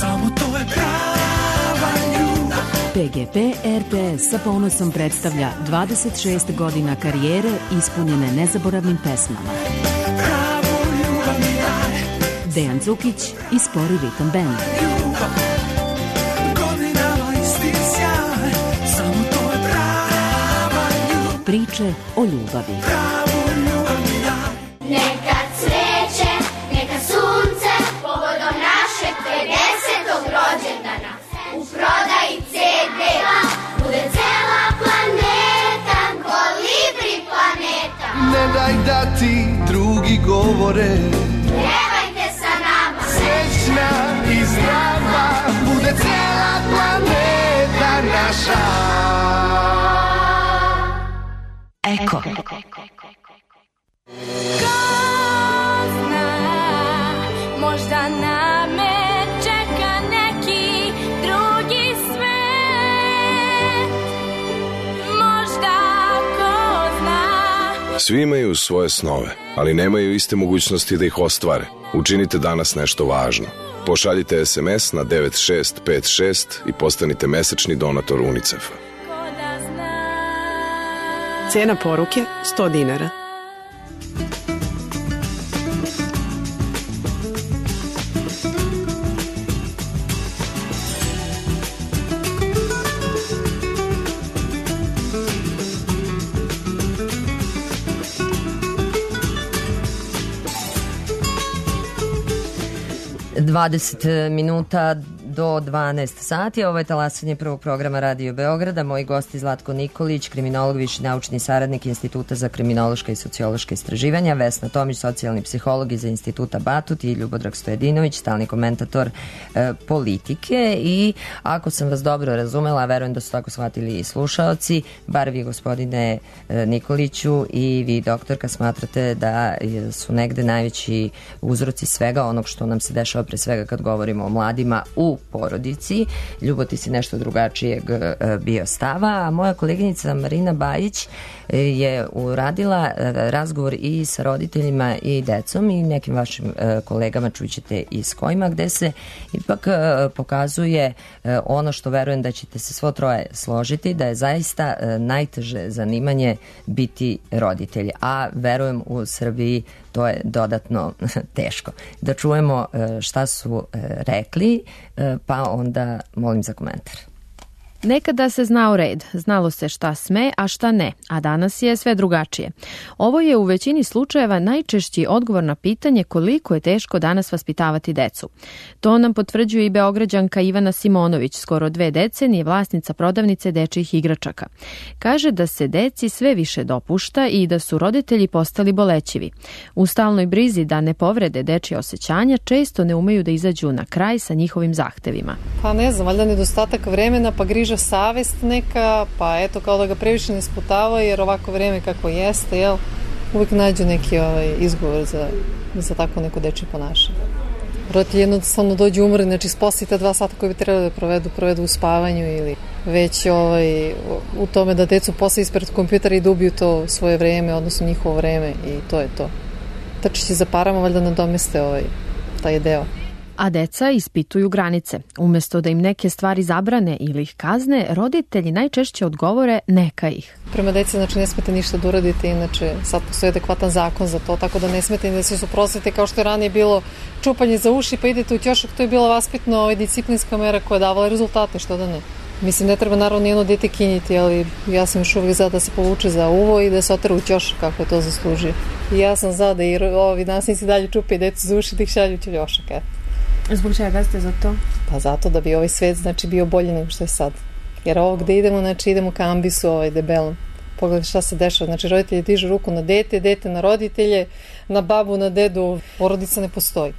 Samo to je prava ljubav, P G P R T S sa ponosom predstavlja dvadeset šest godina karijere ispunjene nezaboravnim pesmama. Dejan Cukić i Spori ritam band. Priče o ljubavi. Neka cveće, neka sunce, povodom našeg pedesetog rođendana. U prodaji ce de bude cela planeta, kolibri planeta. Ne daj da ti drugi govore, pevajte sa nama. Srećna i zdrava bude cela planeta naša. Eko. Možda na me čeka neki drugi svet. Možda ko zna. Svi imaju svoje snove, ali nemaju iste mogućnosti da ih ostvare. Učinite danas nešto važno. Pošaljite es em es na devet šest pet šest i postanite mesečni donator UNICEF-a. Cena poruke sto dinara. dvadeset minuta do dvanaest sati. Ovo je talasanje prvog programa Radio Beograda. Moji gosti Zlatko Nikolić, kriminolog, viši naučni saradnik Instituta za kriminološka i sociološka istraživanja, Vesna Tomić, socijalni psiholog iz Instituta Batut i Ljubodrag Stojedinović, stalni komentator e, politike. I ako sam vas dobro razumela, verujem da su tako shvatili i slušaoci, bar vi, gospodine e, Nikoliću, i vi, doktorka, smatrate da su negde najveći uzroci svega onog što nam se dešava, pre svega kad govorimo o mladima, u porodici. Ljubo, ti si nešto drugačijeg bio stava, a moja koleginica Marina Bajić je uradila razgovor i sa roditeljima i decom i nekim vašim kolegama, čućete i s kojima, gde se ipak pokazuje ono što verujem da ćete se svo troje složiti, da je zaista najteže zanimanje biti roditelj, a verujem u Srbiji to je dodatno teško. Da čujemo šta su rekli, pa onda molim za komentar. Nekada se znao red, znalo se šta sme, a šta ne, a danas je sve drugačije. Ovo je u većini slučajeva najčešći odgovor na pitanje koliko je teško danas vaspitavati decu. To nam potvrđuje i Beograđanka Ivana Simonović, skoro dve decenije vlasnica prodavnice dečjih igračaka. Kaže da se deci sve više dopušta i da su roditelji postali bolećivi. U stalnoj brizi da ne povrede dečje osjećanja često ne umeju da izađu na kraj sa njihovim zahtevima. Pa ne znam, valjda nedostatak vremena, pa griža savest neka, pa eto kao da ga previše ne sputava, jer ovako vreme kako jeste, jel, uvijek nađu neki ovaj, izgovor za, za tako neko dečje ponašanje. Roditelji jednostavno dođu umrli, znači sposite dva sata koje bi trebali da provedu, provedu u spavanju ili već ovaj, u tome da decu posle ispred kompjutera i da ubiju to svoje vreme, odnosno njihovo vreme, i to je to. Trčići za parama valjda nadomeste ovaj, taj deo. A deca ispituju granice. Umesto da im neke stvari zabrane ili ih kazne, roditelji najčešće odgovore neka ih. Prema deci, znači, ne smete ništa da uradite, inače sad postoji adekvatan zakon za to, tako da ne smete da se suprotstavite, kao što je ranije bilo čupanje za uši pa idete u ćošak, to je bila vaspitno ovaj, disciplinska mera koja je davala rezultate, što da ne. Mislim, ne treba naravno nijedno dete kinjiti, ali ja sam još uvijek za da se povuče za uvo i da se otera u ćošak kako je to zaslužio. I ja sam za da i ovi nasilnici dalje čupaju decu za uši da ih šalju u ćošak, eto. Zbog čega ste za to? Pa zato da bi ovaj svet, znači, bio bolji nego što je sad. Jer ovo gde idemo, znači idemo ka ambisu ovaj debelom. Pogledaj šta se dešava, znači roditelji dižu ruku na dete, dete na roditelje, na babu, na dedu, porodica ne postoji.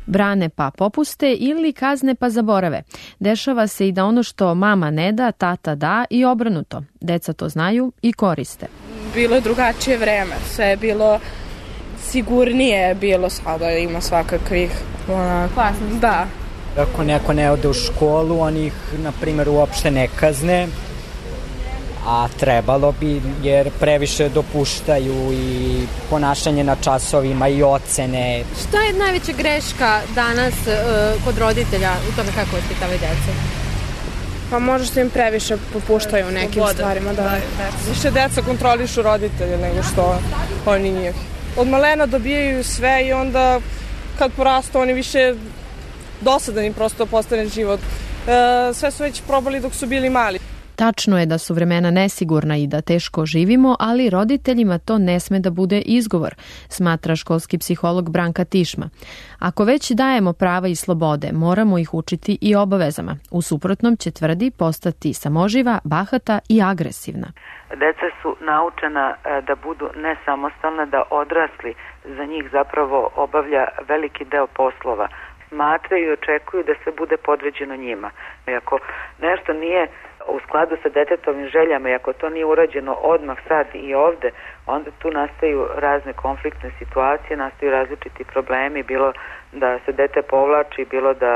Brane pa popuste ili kazne pa zaborave. Dešava se i da ono što mama ne da, tata da i obrnuto. Deca to znaju i koriste. Bilo je drugačije vreme, sve je bilo sigurnije, je bilo, sada ima svakakvih Klasno. Da. Ako neko ne ode u školu, oni ih, na primjer, uopšte ne kazne, a trebalo bi, jer previše dopuštaju i ponašanje na časovima i ocene. Šta je najveća greška danas uh, kod roditelja u tome kako vaspitavaju decu? Pa možda im previše popuštaju u nekim Sloboda. stvarima. Da. Da, da. Više deca kontrolišu roditelje nego što oni njih. Od malena dobijaju sve i onda kad porastu oni više dosadan im prosto postane život. E, sve su već probali dok su bili mali. Tačno je da su vremena nesigurna i da teško živimo, ali roditeljima to ne sme da bude izgovor, smatra školski psiholog Branka Tišma. Ako već dajemo prava i slobode, moramo ih učiti i obavezama. U suprotnom će, tvrdi, postati samoživa, bahata i agresivna. Deca su naučena da budu nesamostalna, da odrasli za njih zapravo obavlja veliki deo poslova. Smatraju i očekuju da sve bude podređeno njima. I ako nešto nije u skladu sa detetovim željama i ako to nije urađeno odmah sad i ovde, onda tu nastaju razne konfliktne situacije, nastaju različiti problemi, bilo da se dete povlači, bilo da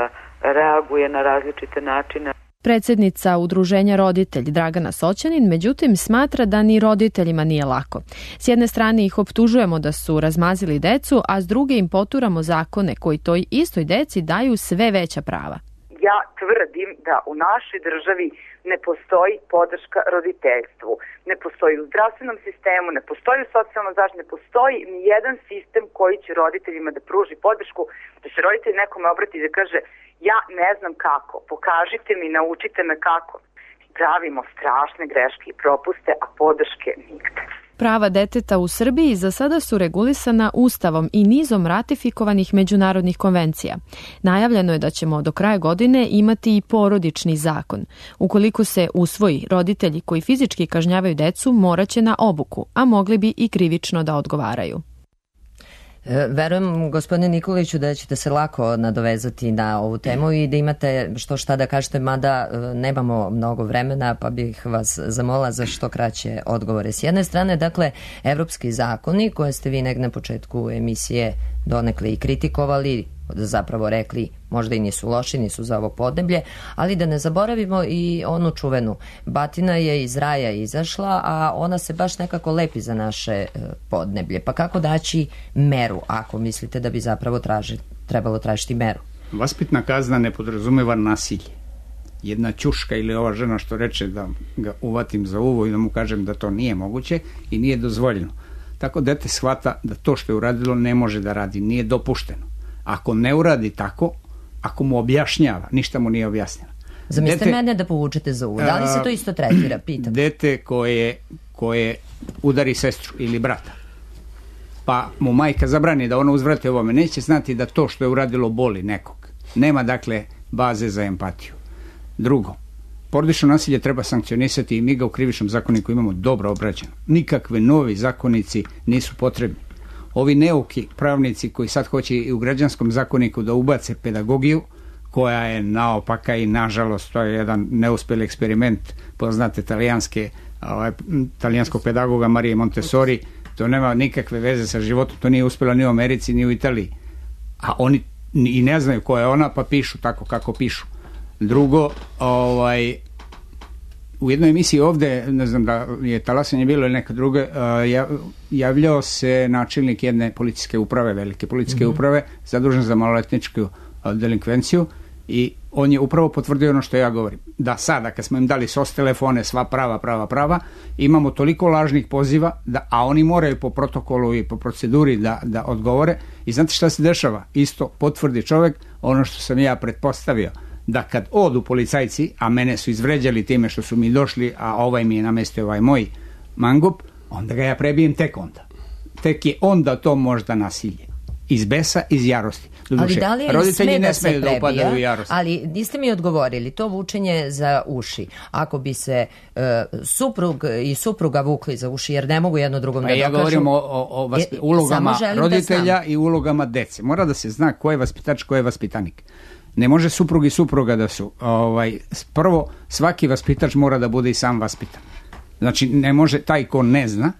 reaguje na različite načine. Predsednica udruženja Roditelj Dragana Soćanin, međutim, smatra da ni roditeljima nije lako. S jedne strane ih optužujemo da su razmazili decu, a s druge im poturamo zakone koji toj istoj deci daju sve veća prava. Ja tvrdim da u našoj državi ne postoji podrška roditeljstvu. Ne postoji u zdravstvenom sistemu, ne postoji u socijalnom zaštiti, ne postoji ni jedan sistem koji će roditeljima da pruži podršku, da se roditelj nekome obrati i da kaže ja ne znam kako, pokažite mi, naučite me kako. Pravimo strašne greške i propuste, a podrške nigde. Prava deteta u Srbiji za sada su regulisana Ustavom i nizom ratifikovanih međunarodnih konvencija. Najavljeno je da ćemo do kraja godine imati i porodični zakon. Ukoliko se usvoji, roditelji koji fizički kažnjavaju decu moraće na obuku, a mogli bi i krivično da odgovaraju. Verujem, gospodine Nikoliću, da ćete se lako nadovezati na ovu temu i da imate što šta da kažete, mada nemamo mnogo vremena, pa bih vas zamolila za što kraće odgovore. S jedne strane, dakle, evropski zakoni koje ste vi negdje na početku emisije donekle i kritikovali, zapravo rekli možda i nisu loši, nisu za ovo podneblje, ali da ne zaboravimo i onu čuvenu. Batina je iz raja izašla, a ona se baš nekako lepi za naše podneblje. Pa kako daći meru, ako mislite da bi zapravo traži, trebalo tražiti meru? Vaspitna kazna ne podrazumeva nasilje. Jedna ćuška ili ova žena što reče da ga uvatim za uvo i da mu kažem da to nije moguće i nije dozvoljeno. Tako dete shvata da to što je uradilo ne može da radi, nije dopušteno. Ako ne uradi tako, ako mu objašnjava, ništa mu nije objasnjeno. Zamislite mene da povučete za uvo. Da li se to isto tretira? Pitam. Dete koje, koje udari sestru ili brata, pa mu majka zabrani da ono uzvrati ovome, neće znati da to što je uradilo boli nekog. Nema, dakle, baze za empatiju. Drugo, porodično nasilje treba sankcionisati i mi ga u krivičnom zakoniku imamo dobro obrađeno. Nikakve novi zakonici nisu potrebni. Ovi neuki pravnici koji sad hoće i u građanskom zakoniku da ubace pedagogiju, koja je naopaka i nažalost to je jedan neuspjeli eksperiment poznate talijanske, ovaj, talijanskog pedagoga Marije Montessori, to nema nikakve veze sa životom, to nije uspjelo ni u Americi ni u Italiji. A oni i ne znaju ko je ona, pa pišu tako kako pišu. Drugo, ovaj, u jednoj emisiji ovde, ne znam da je Talasanje bilo ili neka druga, javljao se načelnik jedne policijske uprave, velike policijske mm-hmm. uprave, zadužen za maloletničku delinkvenciju i on je upravo potvrdio ono što ja govorim. Da sada, kad smo im dali S O S telefone, sva prava, prava, prava, imamo toliko lažnih poziva, da, a oni moraju po protokolu i po proceduri da, da odgovore. I znate šta se dešava? Isto potvrdi čovjek ono što sam ja pretpostavio, da kad odu policajci, a mene su izvređali time što su mi došli, a ovaj mi je namestio ovaj moj mangup, onda ga ja prebijem tek onda. Tek je onda to možda nasilje. Iz besa, iz jarosti. Ali da li roditelji ne smeju da upadaju u jarost? Ali niste mi odgovorili, to vučenje za uši. Ako bi se uh, suprug i supruga vukli za uši, jer ne mogu jedno drugom pa da ja dokažu. Ja govorim o, o, o vaspi, ulogama roditelja i ulogama dece. Mora da se zna ko je vaspitač, ko je vaspitanik. Ne može suprug i supruga da su. Ovaj, prvo, svaki vaspitač mora da bude i sam vaspitan. Znači, ne može taj ko ne zna,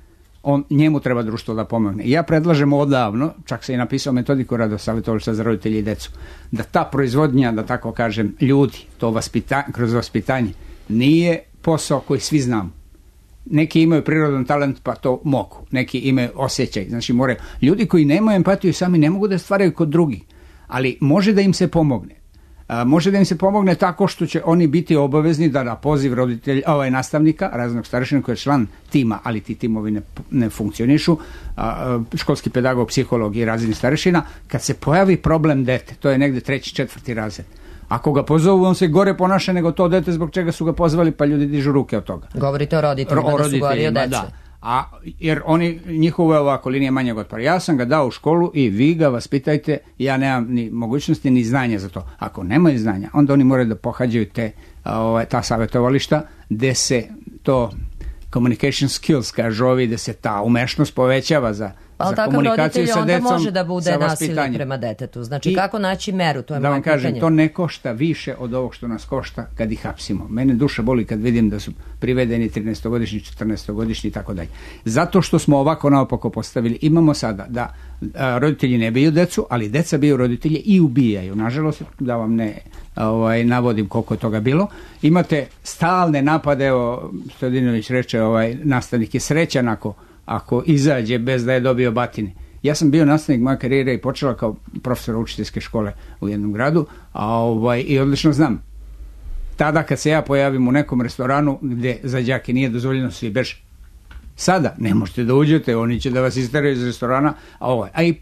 on, njemu treba društvo da pomogne. I ja predlažem odavno, čak se i napisao metodiku Radosavjetovališta za roditelji i decu, da ta proizvodnja, da tako kažem, ljudi, to vaspita, kroz vaspitanje, nije posao koji svi znamo. Neki imaju prirodan talent pa to mogu, neki imaju osjećaj. Znači, moraju. Ljudi koji nemaju empatiju sami ne mogu da stvaraju kod drugih, ali može da im se pomogne. A, može da im se pomogne tako što će oni biti obavezni da na poziv roditelja, ovaj nastavnika, raznog starešina koji je član tima, ali ti timovi ne, ne funkcionišu, a, školski pedagog, psiholog i razredni starešina, kad se pojavi problem dete, to je negde treći, četvrti razred, ako ga pozovu, on se gore ponaša nego to dete zbog čega su ga pozvali, pa ljudi dižu ruke od toga. Govorite o roditeljima, o da su gori od dece. Da. A, jer oni, njihovo je ovako linija manjeg otpora. Ja sam ga dao u školu i vi ga vaspitajte, ja nemam ni mogućnosti ni znanja za to. Ako nemaju znanja, onda oni moraju da pohađaju te, ovaj, ta savjetovališta gde se to communication skills, kažu ovi, da se ta umešnost povećava za, pa, za komunikaciju sa decom, može da bude nasilnik prema detetu. Znači, I, kako naći meru, to je da moje vam kažem, pitanje. to ne košta više od ovog što nas košta kad ih hapsimo. Mene duša boli kad vidim da su privedeni trinaestogodišnji, četrnaestogodišnji i tako dalje. Zato što smo ovako naopako postavili, imamo sada da a, roditelji ne biju decu, ali deca biju roditelje i ubijaju. Nažalost, da vam ne ovaj, navodim koliko je toga bilo. Imate stalne napade, evo, Stojadinović reče, ovaj, nastavnik je srećan ako ako izađe bez da je dobio batine. Ja sam bio nastavnik, moja karijera i počela kao profesor učiteljske škole u jednom gradu, a ovaj, i odlično znam. Tada kad se ja pojavim u nekom restoranu gde za đake nije dozvoljeno, svi beže. Sada ne možete da uđete, oni će da vas isteraju iz restorana, a ovaj, a i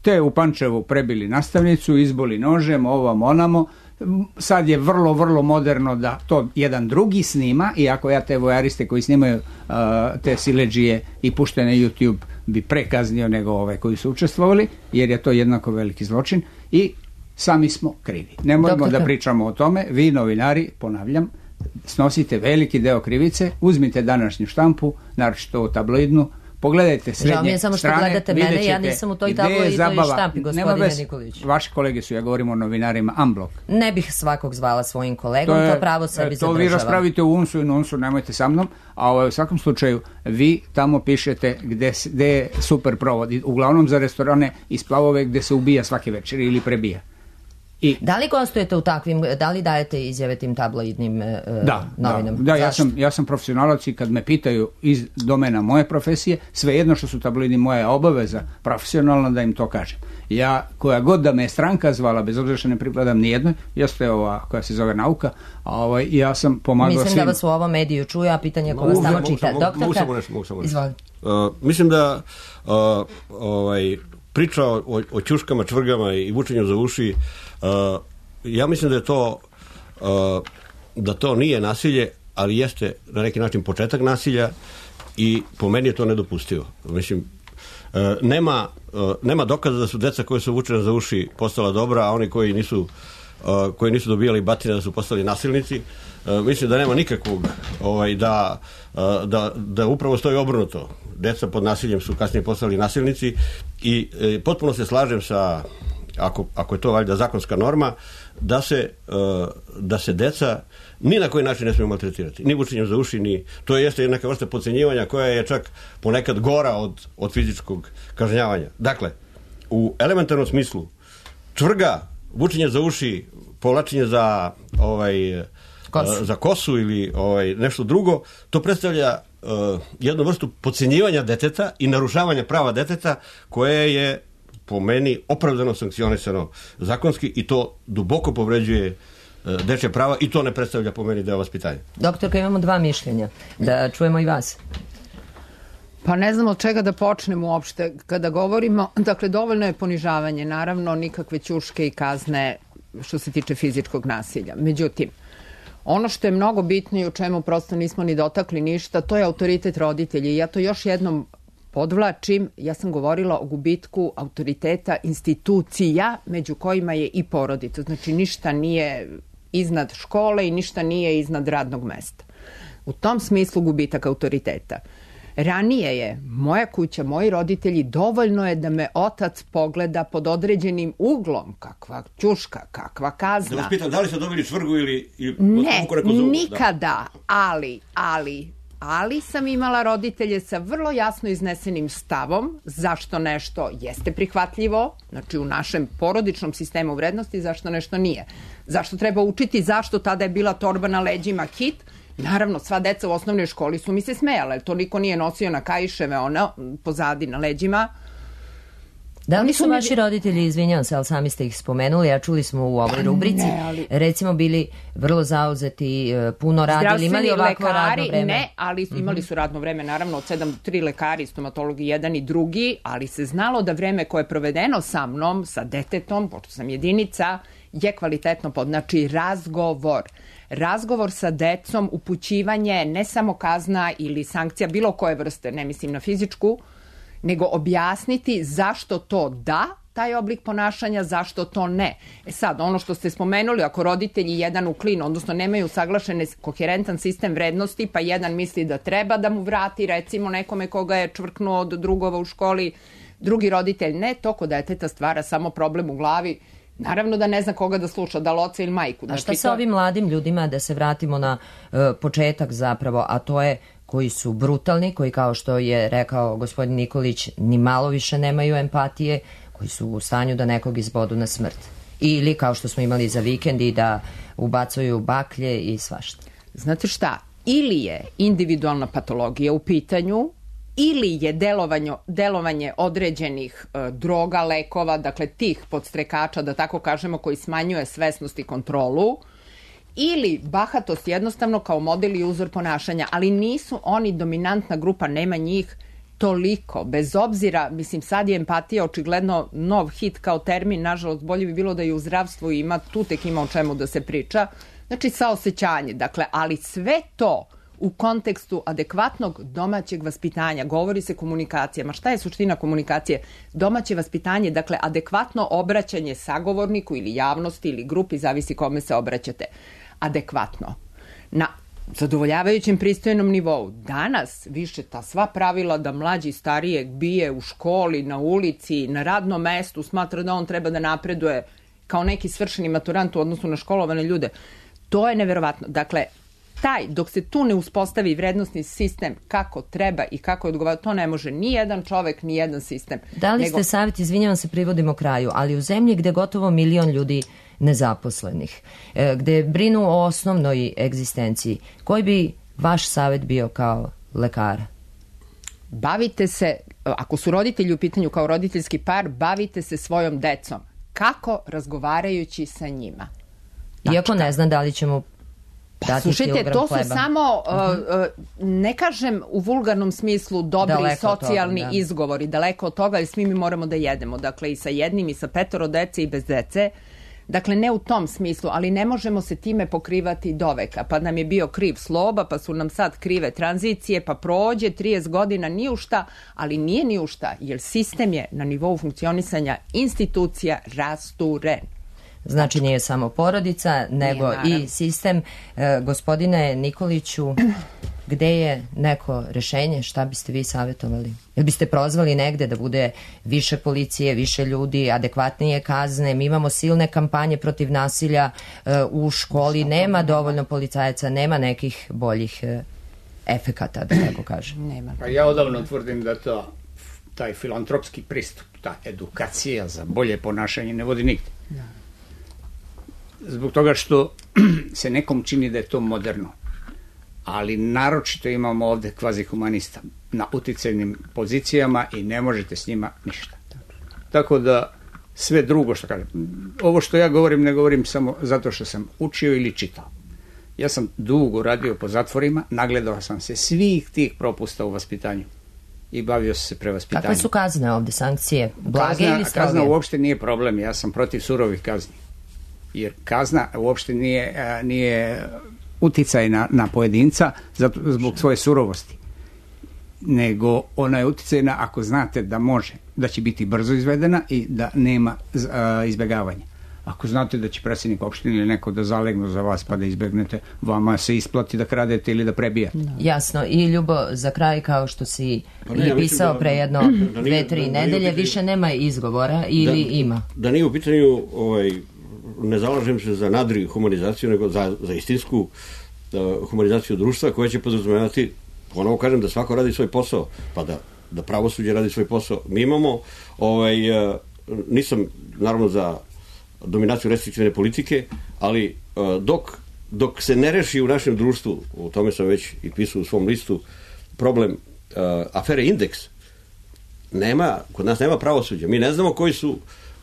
te u Pančevu prebili nastavnicu, izboli nožem, ovam onamo. Sad je vrlo, vrlo moderno da to jedan drugi snima, iako ja te vojariste koji snimaju uh, te siledžije i puštaju na YouTube bi prekaznio nego ove koji su učestvovali, jer je to jednako veliki zločin i sami smo krivi. Ne moramo da pričamo o tome, vi novinari, ponavljam, snosite veliki deo krivice, uzmite današnju štampu, naročito tabloidnu, pogledajte srednje strane. Žao mi je samo što gledate mene, ja nisam u toj tabloidi i toj štampi, gospodine Nikolić. Vaši kolege su, ja govorim o novinarima, Unblock. Ne bih svakog zvala svojim kolegom, to, je, to pravo sebi zadržavam. To vi raspravite u unsu i nunsu, nemojte sa mnom, a ovaj, u svakom slučaju vi tamo pišete gde, gde je super provod, uglavnom za restorane iz Plavove gde se ubija svake večer ili prebija. I, da li gostujete u takvim, da li dajete izjave tim tabloidnim uh, da, novinama? Da, da ja, sam, ja sam profesionalac i kad me pitaju iz domena moje profesije, svejedno što su tabloidni, moja obaveza profesionalna da im to kažem. Ja, koja god da me je stranka zvala, bez obzira što ne pripadam nijednoj, jeste ova koja se zove nauka, a ovaj, ja sam pomagao svim. Mislim da vas u ovom mediju čuje, a pitanje ko vas tamo čita. Doktorka, mogu samo nešto, mogu samo nešto. Izvolite. Uh, mislim da uh, ovaj, priča o, o ćuškama, čvrgama i vučenju za uši, uh, ja mislim da je to uh, da to nije nasilje, ali jeste na neki način početak nasilja i po meni je to nedopustivo. Mislim, uh, nema, uh, nema dokaza da su deca koje su vučene za uši postala dobra, a oni koji nisu uh, koji nisu dobijali batine da su postali nasilnici. Uh, mislim da nema nikakvog ovaj, da, uh, da, da upravo stoji obrnuto. Deca pod nasiljem su kasnije postali nasilnici i e, potpuno se slažem sa, ako, ako je to valjda zakonska norma, da se, e, da se deca ni na koji način ne smiju maltretirati. Ni vučenjem za uši, ni... To jeste neka vrsta podcenjivanja koja je čak ponekad gora od, od fizičkog kažnjavanja. Dakle, u elementarnom smislu čvrga, vučenje za uši, povlačenje za ovaj, kosu. za kosu ili ovaj, nešto drugo, to predstavlja Uh, jednu vrstu podcenjivanja deteta i narušavanja prava deteta koje je po meni opravdano sankcionisano zakonski i to duboko povređuje uh, dečje prava i to ne predstavlja po meni deo vaspitanja. Doktorka, imamo dva mišljenja. Da čujemo i vas. Pa ne znam od čega da počnemo uopšte. Kada govorimo, dakle, dovoljno je ponižavanje, naravno nikakve ćuške i kazne što se tiče fizičkog nasilja. Međutim, ono što je mnogo bitno i u čemu prosto nismo ni dotakli ništa, to je autoritet roditelja. I ja to još jednom podvlačim, ja sam govorila o gubitku autoriteta institucija, među kojima je i porodica. Znači ništa nije iznad škole i ništa nije iznad radnog mesta. U tom smislu gubitak autoriteta. Ranije je moja kuća, moji roditelji, dovoljno je da me otac pogleda pod određenim uglom, kakva ćuška, kakva kazna. Da vas pitam, da li ste dobili čvrgu ili... ili ne, nikada, da. ali, ali, ali sam imala roditelje sa vrlo jasno iznesenim stavom zašto nešto jeste prihvatljivo, znači u našem porodičnom sistemu vrednosti, zašto nešto nije. Zašto treba učiti, zašto tada je bila torba na leđima hit. Naravno, sva deca u osnovnoj školi su mi se smejale, to niko nije nosio na kaiševe, ono, pozadi na leđima. Da li Oni su mi- vaši roditelji, izvinjavam se, ali sami ste ih spomenuli, a čuli smo u ovoj rubrici, ne, ali- recimo bili vrlo zauzeti, e, puno radili, imali ovakvo radno vreme? Ne, ali imali su radno vreme, naravno, od sedam do tri lekari, stomatologi, jedan i drugi, ali se znalo da vreme koje je provedeno sa mnom, sa detetom, pošto sam jedinica, je kvalitetno pod, znači razgovor. Razgovor sa decom, upućivanje, ne samo kazna ili sankcija bilo koje vrste, ne mislim na fizičku, nego objasniti zašto to da, taj oblik ponašanja, zašto to ne. E sad, ono što ste spomenuli, ako roditelji jedan u klin, odnosno nemaju saglašen koherentan sistem vrednosti, pa jedan misli da treba da mu vrati, recimo nekome koga je čvrknuo od drugova u školi, drugi roditelj ne, to kod deteta stvara samo problem u glavi. Naravno da ne zna koga da sluša, da li oca ili majku. A šta Znači, sa to- ovim mladim ljudima, da se vratimo na e, početak zapravo, a to je koji su brutalni, koji kao što je rekao gospodin Nikolić, ni malo više nemaju empatije, koji su u stanju da nekog izbodu na smrt. Ili kao što smo imali za vikendi da ubacuju baklje i svašta. Znate šta, ili je individualna patologija u pitanju, ili je delovanje, delovanje određenih e, droga, lekova, dakle tih podstrekača, da tako kažemo, koji smanjuje svesnost i kontrolu, ili bahatost jednostavno kao model i uzor ponašanja, ali nisu oni dominantna grupa, nema njih toliko, bez obzira, mislim sad je empatija očigledno nov hit kao termin, nažalost bolje bi bilo da i u zdravstvu ima, tu tek ima o čemu da se priča, znači saosećanje, dakle, ali sve to u kontekstu adekvatnog domaćeg vaspitanja, govori se komunikacijama. Šta je suština komunikacije? Domaće vaspitanje, dakle, adekvatno obraćanje sagovorniku ili javnosti ili grupi, zavisi kome se obraćate. Adekvatno. Na zadovoljavajućem pristojnom nivou. Danas više ta sva pravila da mlađi starijeg bije u školi, na ulici, na radnom mestu, smatra da on treba da napreduje kao neki svršeni maturant u odnosu na školovane ljude. To je neverovatno. Dakle, taj, dok se tu ne uspostavi vrednostni sistem kako treba i kako je odgovarao, to ne može ni jedan čovek, ni jedan sistem. Da li Nego- ste savjet, izvinjavam se, privodimo kraju, ali u zemlji gde gotovo milion ljudi nezaposlenih, e, gde brinu o osnovnoj egzistenciji, koji bi vaš savjet bio kao lekara? Bavite se, ako su roditelji u pitanju kao roditeljski par, bavite se svojom decom. Kako? Razgovarajući sa njima. Iako ne znam da li ćemo dati Slušajte, kilogram to su hleba. samo, uh, uh, ne kažem u vulgarnom smislu dobri Daleko od socijalni toga, da. izgovori, daleko od toga, jer svi mi moramo da jedemo, dakle i sa jednim i sa petoro dece i bez dece. Dakle, ne u tom smislu, ali ne možemo se time pokrivati doveka. Pa nam je bio kriv Sloba, pa su nam sad krive tranzicije, pa prođe trideset godina ni u šta, ali nije ni u šta, jer sistem je na nivou funkcionisanja institucija rasturen. Znači nije samo porodica, nego naravno. i sistem. E, gospodine Nikoliću, gde je neko rešenje, šta biste vi savjetovali? Jel biste prozvali negde da bude više policije, više ljudi, adekvatnije kazne? Mi imamo silne kampanje protiv nasilja e, u školi, nema dovoljno policajaca, nema nekih boljih e, efekata, da tako kažem. Nema. Pa ja odavno tvrdim da to, taj filantropski pristup, ta edukacija za bolje ponašanje ne vodi nigde. Zbog toga što se nekom čini da je to moderno. Ali naročito imamo ovde kvazi humanista na uticajnim pozicijama i ne možete s njima ništa. Tako da sve drugo što kažem, ovo što ja govorim ne govorim samo zato što sam učio ili čitao. Ja sam dugo radio po zatvorima, nagledao sam se svih tih propusta u vaspitanju i bavio sam se prevaspitanjem. Kakve su kazne ovde, sankcije? Blage Kazna, ili stroge? kazna uopšte nije problem, ja sam protiv surovih kazni. Jer kazna uopšte nije, a, nije uticaj na, na pojedinca zato, zbog svoje surovosti. Nego ona je uticajna ako znate da može, da će biti brzo izvedena i da nema a, izbjegavanja. Ako znate da će predsjednik opštine ili neko da zalegnu za vas pa da izbegnete, vama se isplati da kradete ili da prebijate. Jasno. I Ljubo, za kraj, kao što si Pa ne, i ja mislim pisao da- pre jedno da nije- dve, tri da nije nedelje, u pitanju- više nema izgovora ili Da- ima? Da nije u pitanju, ovaj, ne zalažem se za nadri humanizaciju, nego za, za istinsku uh, humanizaciju društva koja će podrazumevati, ponovo kažem, da svako radi svoj posao, pa da, da pravosuđe radi svoj posao. Mi imamo, ovaj, uh, nisam naravno za dominaciju restriktivne politike, ali uh, dok, dok se ne reši u našem društvu, o tome sam već i pisao u svom listu, problem uh, afere Indeks, nema, kod nas nema pravosuđa. Mi ne znamo koji su,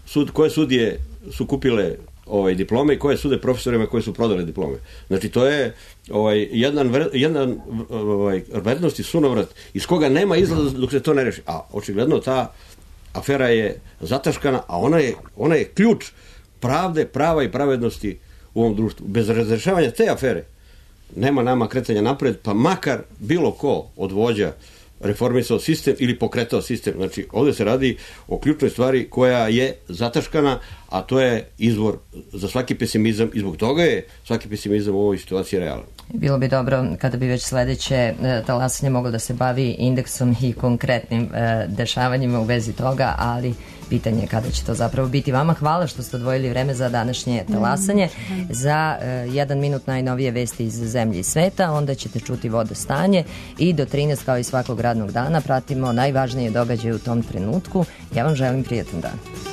sud, koje sudije su kupile ovaj, diplome i koje sude profesorima koji su prodali diplome. Znači, to je ovaj, jedan, jedan ovaj, vrednosti sunovrat iz koga nema izlaza dok se to ne reši. A očigledno ta afera je zataškana, a ona je, ona je ključ pravde, prava i pravednosti u ovom društvu. Bez razrešavanja te afere nema nama kretanja napred, pa makar bilo ko od vođa reformisao sistem ili pokretao sistem. Znači, ovdje se radi o ključnoj stvari koja je zataškana, a to je izvor za svaki pesimizam i zbog toga je svaki pesimizam u ovoj situaciji realan. Bilo bi dobro kada bi već sledeće talasanje moglo da se bavi indeksom i konkretnim e, dešavanjima u vezi toga, ali pitanje je kada će to zapravo biti. Vama hvala što ste odvojili vreme za današnje talasanje. Za e, jedan minut najnovije vesti iz zemlje i sveta, onda ćete čuti vodostanje i do trinaest kao i svakog radnog dana pratimo najvažnije događaje u tom trenutku. Ja vam želim prijatan dan.